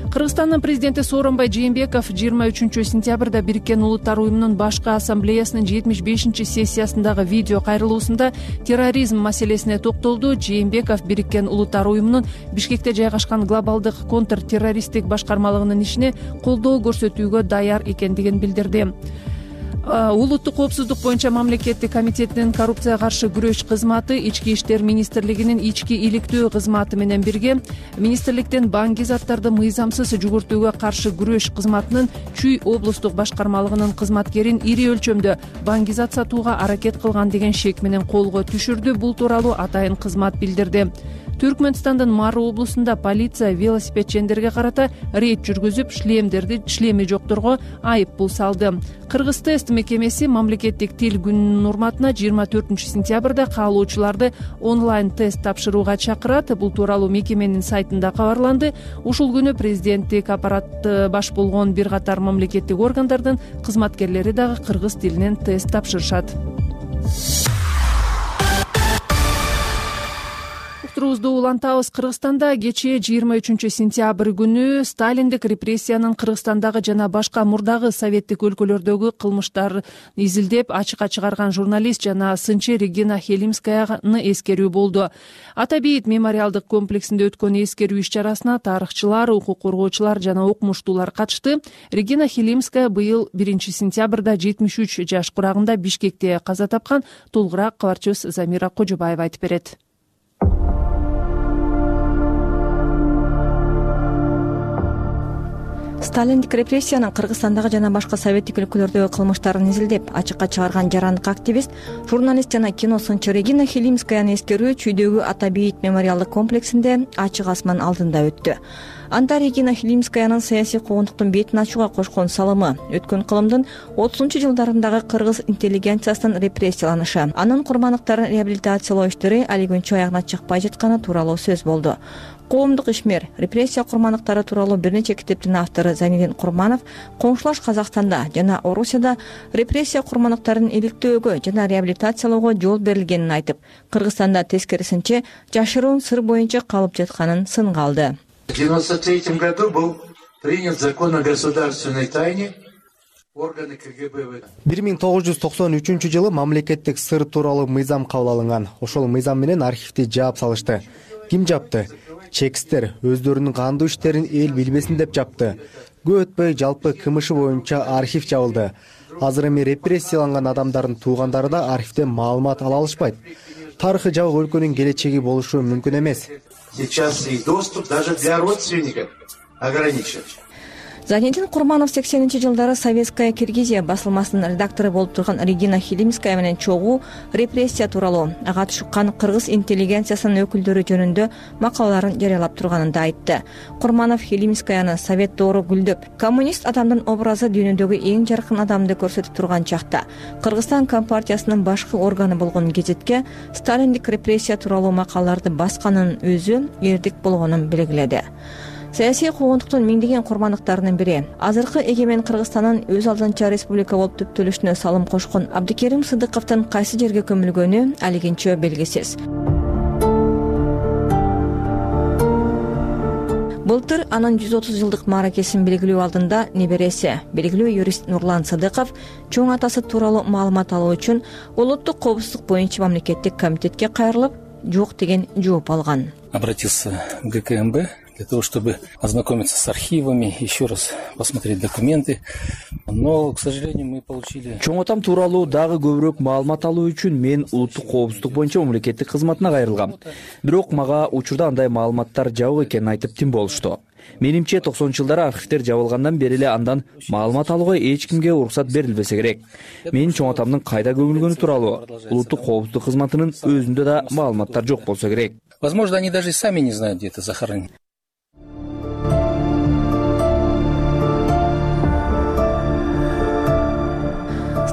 Кыргызстандын президенти Сооронбай Жээнбеков жыйырма үчүнчү сентябрда Бириккен Улуттар уюмунун башкы ассамблеясынын жетимиш бешинчи сессиясындагы видео кайрылуусунда терроризм маселесине токтолду. Жээнбеков Бириккен Улуттар уюмунун Бишкекте жайгашкан глобалдык контртеррористтик башкармалыгынын ишине колдоо көрсөтүүгө даяр экендигин билдирди. Улуттук коопсуздук боюнча мамлекеттик комитетинин коррупцияга каршы күрөш кызматы Ички иштер министрлигинин ички иликтөө кызматы менен бирге министрликтен баңги заттарды мыйзамсыз жүгүртүүгө каршы күрөш кызматынын Чүй облустук башкармалыгынын кызматкерин ири өлчөмдө баңги зат сатууга аракет кылган деген шек менен колго түшүрдү. Бул тууралуу атайын кызмат билдирди. Түркмөнстандын Мары облусунда полиция велосипедчендерге карата рейд жүргүзүп, шлемдерди шлеми жокторго айып пул салды. Кыргыз тест мекемеси мамлекеттик тил күнүнүн урматына жыйырма төртүнчү сентябрда каалоочуларды онлайн тест тапшырууга чакырат. Бул тууралуу мекеменин сайтында кабарланды. Ушул күнү президенттик аппараты баш болгон бир катар мамлекеттик органдардын кызматкерлери дагы кыргыз тилинен тест тапшырышат. Турубузду улантабыз. Кыргызстанда кечээ жыйырма үчүнчү сентябрь күнү сталиндик репрессиянын Кыргызстандагы жана башка мурдагы советтик өлкөлөрдөгү кылмыштарын изилдеп ачыкка чыгарган журналист жана сынчы Регина Хелимскаяны эскерүү болду. Ата бейит мемориалдык комплексинде өткөн эскерүү иш-чарасына тарыхчылар, укук коргоочулар жана окумуштуулар катышты. Регина Хелимская быйыл биринчи сентябрда жетимиш үч жаш курагында Бишкекте каза тапкан. Толугураак кабарчыбыз Замира Кожобаева айтып берет. Сталиндик репрессиянын Кыргызстандагы жана башка советтик өлкөлөрдөгү кылмыштарын изилдеп ачыкка чыгарган жарандык активист, журналист жана кино сынчы Регина Хелимскаяны эскерүү Чүйдөгү Ата бейит мемориалдык комплексинде ачык асман алдында өттү. Анда Регина Хелимскаянын саясий куугунтуктун бетин ачууга кошкон салымы өткөн кылымдын отузунчу жылдарындагы кыргыз интеллигенциясынын репрессияланышы, анын курмандыктарын реабилитациялоо иштери али күнчө аягына чыкпай жатканы тууралуу сөз болду. коомдук ишмер репрессия курмандыктары тууралуу бир нече китептин автору Зайниддин Курманов коңшулаш Казакстанда жана Орусияда репрессия курмандыктарын иликтөөгө жана реабилитациялоого жол берилгенин айтып, Кыргызстанда тескерисинче жашыруун сыр боюнча калып жатканын сынга алды. В девяносто третьем году был принят закон о государственной тайне. бир миң тогуз жүз токсон үчүнчү жылы мамлекеттик сыр тууралуу мыйзам кабыл алынган. Ошол мыйзам менен архивди жаап салышты. Ким жапты? Чекистер өздөрүнүн кандуу иштерин эл билбесин деп жапты. Көп өтпөй жалпы кылмышы боюнча архив жабылды. Азыр эми репрессияланган адамдардын туугандары да архивден маалымат ала алышпайт. Тарыхы жабык өлкөнүн келечеги болушу мүмкүн эмес. Сейчас и доступ даже для родственников ограничен. Зайниддин Курманов сексенинчи жылдары Советская Киргизия басылмасынын редактору болуп турган Регина Хилимская менен чогуу репрессия тууралуу ага тушуккан кыргыз интеллигенциясынын өкүлдөрү жөнүндө макалаларын жарыялап турганын да айтты. Курманов Хилимскаяны совет доору гүлдөп, коммунист адамдын образы дүйнөдөгү эң жаркын адамды көрсөтүп турган чакта Кыргызстан Компартиясынын башкы органы болгон гезитке сталиндик репрессия тууралуу макалаларды басканын өзү эрдик болгонун белгиледи. Саясий куугунтуктун миңдеген курмандыктарынын бири, азыркы эгемен Кыргызстандын өз алдынча республика болуп түптөлүшүнө салым кошкон Абдыкерим Сыдыковдун кайсы жерге көмүлгөнү алигинче белгисиз. Былтыр анын жүз отуз жылдык мааракесин белгилөө алдында небереси, белгилүү юрист Нурлан Сыдыков чоң атасы тууралуу маалымат алуу үчүн Улуттук коопсуздук боюнча мамлекеттик комитетке кайрылып, жок деген жооп алган. Обратился в гэ ка эм бэ для того, чтобы ознакомиться с архивами, еще раз посмотреть документы. Но, к сожалению, мы получили... Чоң атам тууралуу дагы көбүрөөк маалымат алуу үчүн мен улуттук коопсуздук боюнча мамлекеттик кызматына кайрылгам. Бирок мага учурда андай маалыматтар жабык экенин айтып тим болушту. Менимче токсонунчу жылдары архивдер жабылгандан бери эле андан маалымат алууга эч кимге уруксат берилбесе керек. Мен чоң атамдын кайда көмүлгөнү тууралуу улуттук коопсуздук кызматынын өзүндө да маалыматтар жок болсо керек. Возможно, они даже сами не знают, где это захоронено.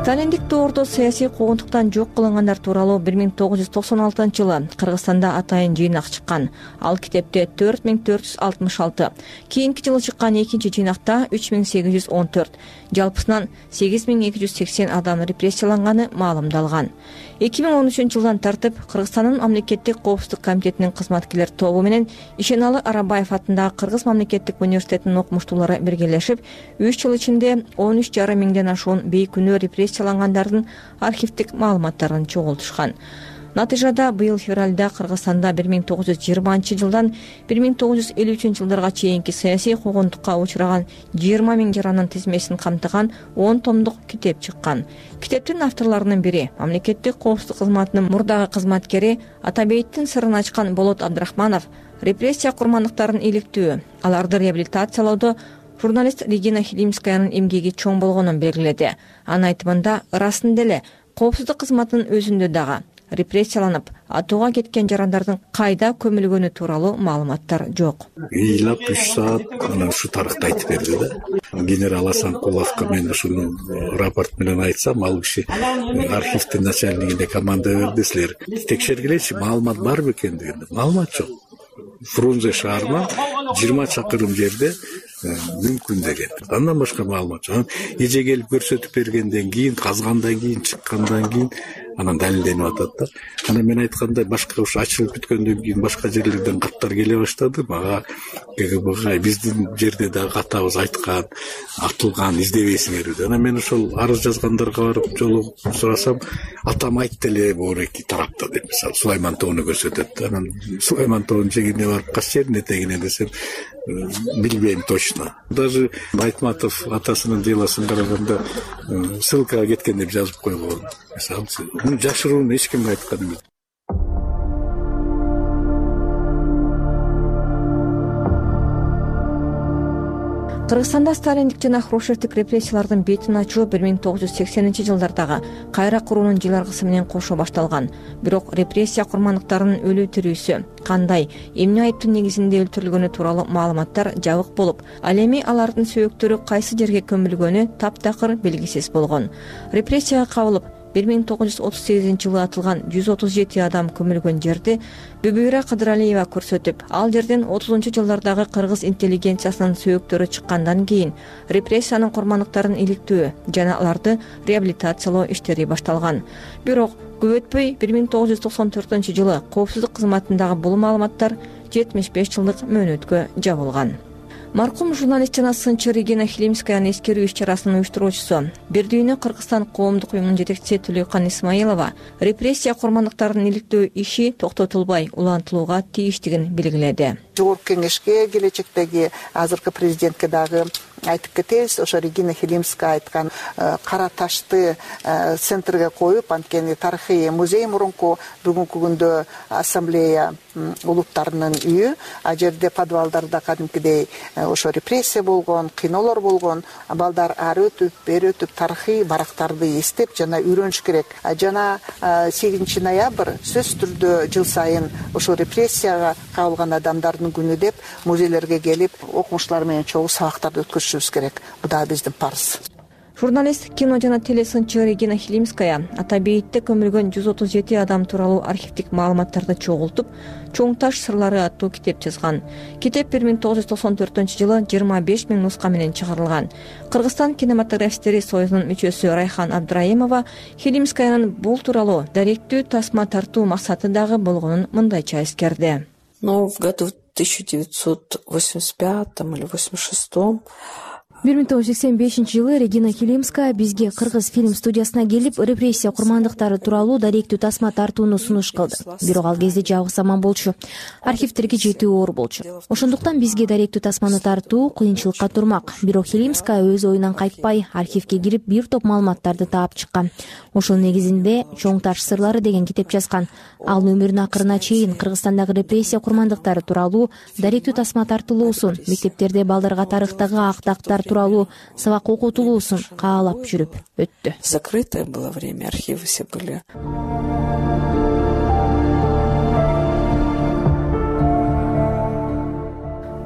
Сталиндик доордо саясий куугунтуктан жок кылынгандар тууралуу бир миң тогуз жүз токсон алтынчы жылы Кыргызстанда атайын жыйнак чыккан. Ал китепте төрт миң төрт жүз алтымыш алты, кийинки жылы чыккан экинчи жыйнакта үч миң сегиз жүз он төрт, жалпысынан сегиз миң эки жүз сексен адам репрессияланганы маалымдалган. эки миң он үчүнчү жылдан тартып Кыргызстандын мамлекеттик коопсуздук комитетинин кызматкерлер тобу менен Ишеналы Арабаев атындагы Кыргыз мамлекеттик университетинин окумуштуулары биргелешип, үч жыл ичинде он үч жарым миңден ашуун бейкүнөө репрессиялангандардын архивдик маалыматтарын чогултушкан. Натыйжада быйыл февралда Кыргызстанда бир миң тогуз жүз жыйырманчы жылдан бир миң тогуз жүз элүү үчүнчү жылдарга чейинки саясий куугунтукка учураган жыйырма миң жаранын тизмесин камтыган он томдук китеп чыккан. Китептин авторлорунун бири мамлекеттик коопсуздук кызматынын мурдагы кызматкери Атабейттин сырын ачкан Болот Абдрахманов репрессия курмандыктарын иликтөө, аларды реабилитациялоодо журналист Регина Хилимскаянын эмгеги чоң болгонун белгиледи. Анын айтымында ырасында эле коопсуздук кызматынын өзүндө дагы репрессияланып, атууга кеткен жарандардын кайда көмүлгөнү тууралуу маалыматтар жок. ыйлап үч саат анан ушу тарыхты айтып берди да. Генерал Асанкуловго мен ушуну рапорт менен айтсам, ал киши архивдин начальнигине команда берди, силер текшергилечи, маалымат барбы экен деген. Маалымат жок. Фрунзе шаарынан жыйырма чакырым жерде мүмкүн деген. Андан башка маалымат жок. Эже келип көрсөтүп бергенден кийин, казгандан кийин, чыккандан кийин анан далилденип атат да. Анан мен айткандай башка ушу ачылып бүткөндөн кийин башка жерлерден каттар келе баштады. Мага гэ гэ бэ биздин жерде дагы катабыз айткан, атылган, издебейсиңер деп. Анан мен ошол арыз жазгандарга барып жолугуп сурасам, атам айтты эле бул эки тарапта деп, мисалы Сулайман тоону көрсөтөт да. Анан Сулайман тоонун жегине барып кайсы жердин этегине десем, билбейм точно. Даже Айтматов атасынын делосун караганда ссылкага кеткен деп жазып койгон. Мисалы, муну жашырууну эч кимге айткан эмес. Кыргызстанда сталиндик жана хрущевдик репрессиялардын бетин ачуу бир миң тогуз жүз сексенинчи жылдардагы кайра куруунун жыларгысы менен кошо башталган. Бирок репрессия курмандыктарынын өлүү тирүүсү, кандай, эмне айыптын негизинде өлтүрүлгөнү тууралуу маалыматтар жабык болуп, ал эми алардын сөөктөрү кайсы жерге көмүлгөнү таптакыр белгисиз болгон. Репрессияга кабылып, бир миң тогуз жүз отуз сегизинчи жылы атылган жүз отуз жети адам көмүлгөн жерди Бүбүйра Кыдыралиева көрсөтүп, ал жерден отузунчу жылдардагы кыргыз интеллигенциясынын сөөктөрү чыккандан кийин репрессиянын курмандыктарын иликтөө жана аларды реабилитациялоо иштери башталган. Бирок көп өтпөй бир миң тогуз жүз токсон төртүнчү жылы коопсуздук кызматындагы бул маалыматтар жетимиш беш жылдык мөөнөткө жабылган. Маркум журналист жана сынчы Регина Хилимскаянын эскерүү иш-чарасынын уюштуруучусу, Бир дүйнө Кыргызстан коомдук уюмунун жетекчиси Төлөйкан Исмаилова репрессия курмандыктарын иликтөө иши токтотулбай улантылууга тийиштигин белгиледи. Жогорку кеңешке, келечектеги азыркы президентке дагы айтып кетебиз. Ошо Регина Хилимская айткан кара ташты центрге коюп, анткени тарыхый музей мурунку, бүгүнкү күндө ассамблея улуттарынын үйү, а жерде подвалдарда кадимкидей ошо репрессия болгон, кыйноолор болгон, балдар ары өтүп, бери өтүп тарыхый барактарды эстеп жана үйрөнүш керек. Жана сегизинчи ноябрь сөзсүз түрдө жыл сайын ошо репрессияга кабылган адамдардын күнү деп музейлерге келип, окумуштуулар менен чогуу сабактарды өткөзүшүбүз керек. Бул да биздин парыз. Журналист, кино жана телесынчы Регина Хилимская ата бейитте көмүлгөн жүз отуз жети адам тууралуу архивдик маалыматтарды чогултуп, Чоң таш сырлары аттуу китеп жазган. Китеп бир миң тогуз жүз токсон төртүнчү жылы жыйырма беш миң нуска менен чыгарылган. Кыргызстан кинематографисттери союзунун мүчөсү Райхан Абдраимова Хилимскаянын бул тууралуу даректүү тасма тартуу максаты дагы болгонун мындайча эскерди. Но в году тысяча девятьсот восемьдесят пятом или восемьдесят шестом бир миң тогуз жүз сексен бешинчи жылы Регина Хилимская бизге Кыргыз фильм студиясына келип, репрессия курмандыктары тууралуу даректүү тасма тартууну сунуш кылды. Бирок ал кезде жабык заман болчу. Архивдерге жетүү оор болчу. Ошондуктан бизге даректүү тасманы тартуу кыйынчылыкка турмак. Бирок Хилимская өз оюнан кайтпай, архивге кирип бир топ маалыматтарды таап чыккан. Ошонун негизинде Чоң таш сырлары деген китеп жазган. Ал өмүрүнүн акырына чейин Кыргызстандагы репрессия курмандыктары тууралуу даректүү тасма тартылуусун, мектептерде балдарга тарыхтагы актактар тууралуу сабак окутулуусун каалап жүрүп өттү. Закрытое было время, архивы все были.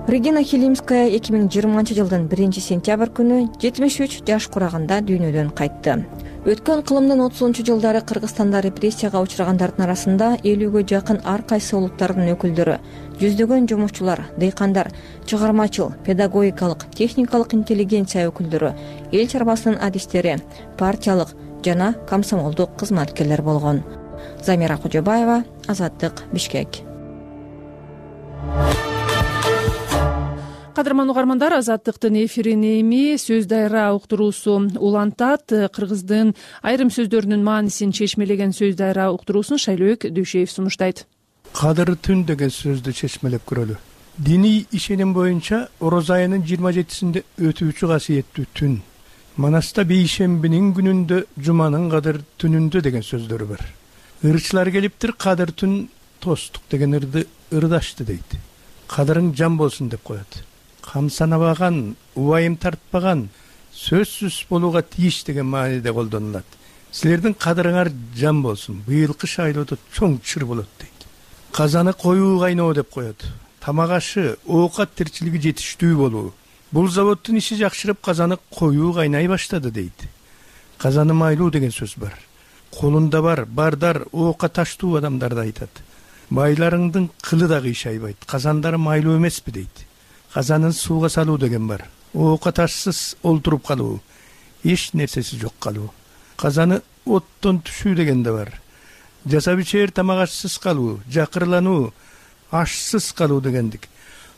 Регина Хилимская эки миң жыйырманчы жылдын биринчи сентябрь күнү жетимиш үч жаш кураганда дүйнөдөн кайтты. Өткөн кылымдын отузунчу жылдары Кыргызстанда репрессияга учурагандардын арасында элүүгө жакын ар кайсы улуттардын өкүлдөрү, жүздөгөн жумушчулар, дыйкандар, чыгармачыл, педагогикалык, техникалык интеллигенция өкүлдөрү, эл чарбасынын адистери, партиялык жана комсомолдук кызматкерлер болгон. Замира Кожобаева, Азаттык, Бишкек. Кадырман угармандар, Азаттыктын эфирин эми сөз дайра уктуруусу улантат. Кыргыздын айрым сөздөрүнүн маанисин чечмелеген сөз дайра уктуруусун Шайлөөк Дүйшеев сунуштайт. Кадыр түн деген сөздү чечмелеп көрөлү. Диний ишеним боюнча ороз айынын жыйырма жетисинде өтүүчү касиеттүү түн. Манаста бейшембинин күнүндө, жуманын кадыр түнүндө деген сөздөр бар. Ырчылар келиптир, кадыр түн тостук деген ырды ырдашты дейт. Кадырың жан болсун деп коет. Камсанабаган, убайым тартпаган, сөзсүз болууга тийиш деген мааниде колдонулат. Силердин кадырыңар жан болсун, быйылкы шайлоодо чоң чыр болот дейт. Казаны коюу кайноо деп коет. Тамак ашы, оокат тирчилиги жетиштүү болуу. Бул заводдун иши жакшырып, казаны коюу кайнай баштады дейт. Казаны майлуу деген сөз бар. Колунда бар, бардар, оокка таштуу адамдарды айтат. Байларыңдын кылы да кыйшайбайт, казандары майлуу эмеспи дейт. Казанын сууга салуу деген бар. Оокка ташсыз олтуруп калуу, эч нерсеси жок калуу. Казаны оттон түшүү деген да бар. Жасап ичер тамак ашсыз калуу, жакырлануу, ашсыз калуу дегендик.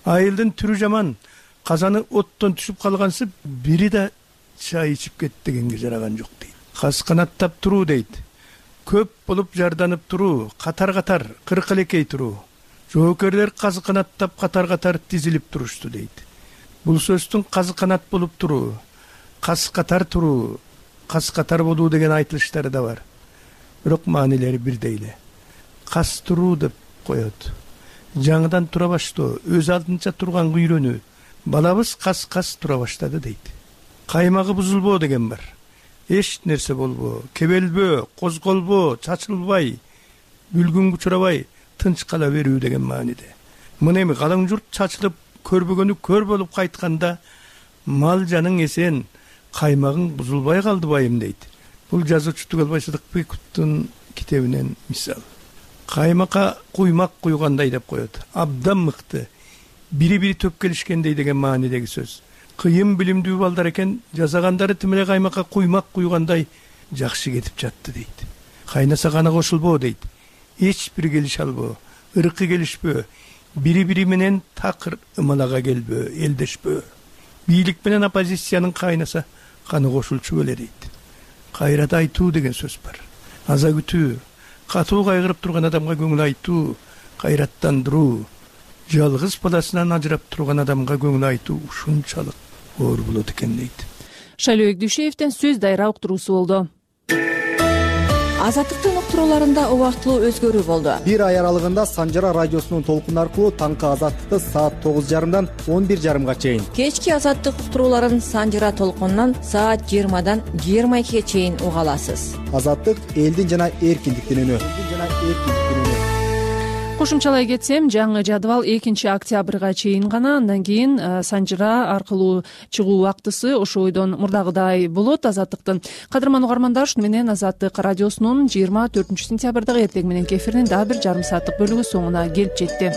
Айылдын түрү жаман, казаны оттон түшүп калгансып, бири да чай ичип кет дегенге жараган жок дейт. Каз канаттап туруу дейт. Көп болуп жарданып туруу, катар-катар, кыркылекей туруу. Жоокерлер казы канаттап катар-катар тизилип турушту дейт. Бул сөздүн казы канат болуп туруу, каз катар туруу, каз катар болуу деген айтылыштары да бар. Бирок маанилери бирдей эле. Каз туруу деп коет. Жаңыдан тура баштоо, өз алдынча турган үйрөнүү. Балабыз каз-каз тура баштады дейт. Каймагы бузулбоо деген бар. Эч нерсе болбоо, кебелбөө, козголбоо, чачылбай, бүлгүнгө учурабай, тынч кала берүү деген мааниде. Мына эми калың журт чачылып, көрбөгөнү көр болуп кайтканда, мал жаның эсен, каймагың бузулбай калды байым дейт. бул жазуучу Тугалбай Сыдыкбековдун китебинен мисал. Каймакка куймак куйгандай деп коет. Абдан мыкты. Бири бири төп келишкендей деген маанидеги сөз. Кыйын билимдүү балдар экен, жасагандары тим эле каймакка куймак куйгандай жакшы кетип жатты дейт. Кайнаса гана кошулбоо дейт. Эч бир келише албоо, ыркы келишпөө, бири бири менен такыр ымалага келбөө, элдешпөө. Бийлик менен оппозициянын кайнаса каны кошулчу беле дейт. Кайрат айтуу деген сөз бар. Аза күтүү, катуу кайгырып турган адамга көңүл айтуу, кайраттандыруу, жалгыз баласынан ажырап турган адамга көңүл айтуу ушунчалык оор болот экен дейт. Шайлообек Дүйшеевден сөз дайра уктуруусу болду. Азаттыктын уктурууларында убактылуу өзгөрүү болду. Бир ай аралыгында Санжара радиосунун толкуну аркылуу таңкы Азаттыкты саат тогуз жарымдан он бир жарымга чейин, кечки Азаттык уктурууларын Санжара толкунунан саат жыйырмадан жыйырма экиге чейин уга аласыз. Азаттык элдин жана эркиндиктин үнү. Кошумчалай кетсем, жаңы жадыбал экинчи октябрга чейин гана, андан кийин Санжара аркылуу чыгуу убактысы ошо бойдон мурдагыдай болот. Азаттыктын кадырман угармандар, ушуну менен Азаттык радиосунун жыйырма төртүнчү сентябрдагы эртең мененки эфиринин дагы бир жарым сааттык бөлүгү соңуна келип жетти.